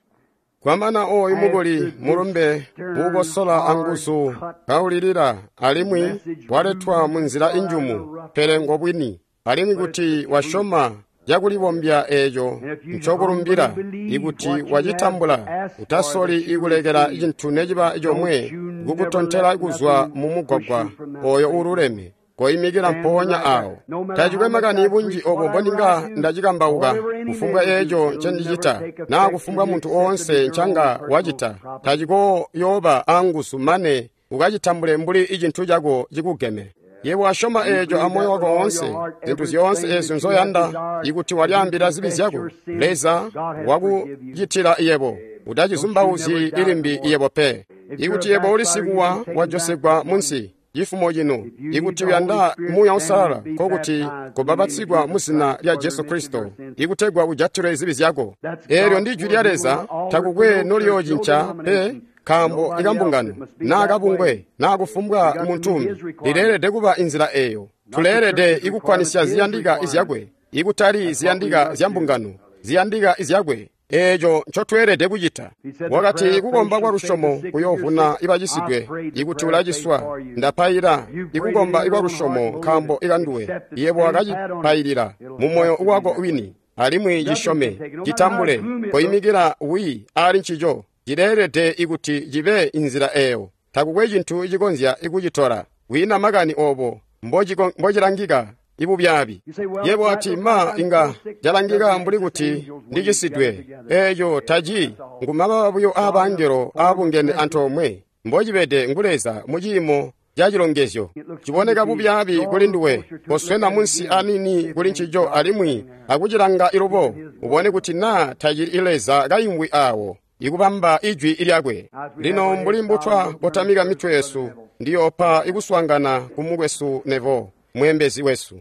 Kwamana oyu mukuli mulumbe uukosola anguzu kaulilira alimwi waletwa mu nzila injumu, pele ngobwini, alimwi kuti wasyoma cakulibombya eeco ncokulumbila, ikuti wacitambula, utasoli ikulekela cintu neciba comwe kukutontela kuzwa mu mugwagwa oyo uululeme. Koimikila mpoonya awo. Tacikwe makani bunji obo mbondinga ndacikambauka, kufumbwa eeco ncendicita, naa kufumbwa muntu oonse ncanga wacita, tacikoyooba anguzu mane ukacitambule mbuli icintu cako cikugeme. Yebo wasyoma eeco amoyo wako woonse, zintu zyoonse eezyo nzoyanda, ikuti walyaambila zibi zyako, Leza wakucitila yebo. Utacizumbauzyi ilimbi yebo pe. Ikuti yebo uli sikuwa wajosegwa munsi cifumo cino, ikuti uyanda Muuya Uusalala, nkokuti kobapatizigwa mu zina lya Jesu Kristo, ikutegwa ujatilwe zibi zyako. Eelyo ndi jwi lya Leza, takukwe noliyoocinca pe, nkaambo ikambungano naa kabungwe naa kufumbwa muntu umbi lileelede kuba inzila eeyo. Tuleelede ikukkwanisya ziyandika izyakwe, ikutali ziyandika zya mbungano, ziyandika izyakwe. Eeco ncotweelede kucita. Wakati kukomba kwa lusyomo kuyoovuna ibacisidwe. Ikuti ulaciswa, ndapaila ikukomba ikwa lusyomo nkaambo ikanduwe. Yebo wakacipailila mu moyo wako wini, alimwi cisyome, citambule, koimikila wi ali ncico. Cileelede ikuti cibe inzila eeyo. Takukwe cintu cikonzya ikucitola. Wiina makani obo mbocilangika ibubyaabi. Yebo ati ma inga calangika mbuli kuti ndicisidwe. Eeco taci ngumababa buyo aabangelo aabungene antoomwe. Mbocibede ngu Leza mu ciimo ca cilongezyo. Ciboneka bubyaabi kuli nduwe, koswena munsi aniini kuli ncico alimwi akucilanga ilubo, ubone kuti naa tacili Leza kaimvwi awo, ikubamba Ijwi lyakwe. Lino mbuli mbutwa kotamika mitwe yesu, ndiyoopa ikuswaangana ku mukwesu Neville, mweembezi wesu.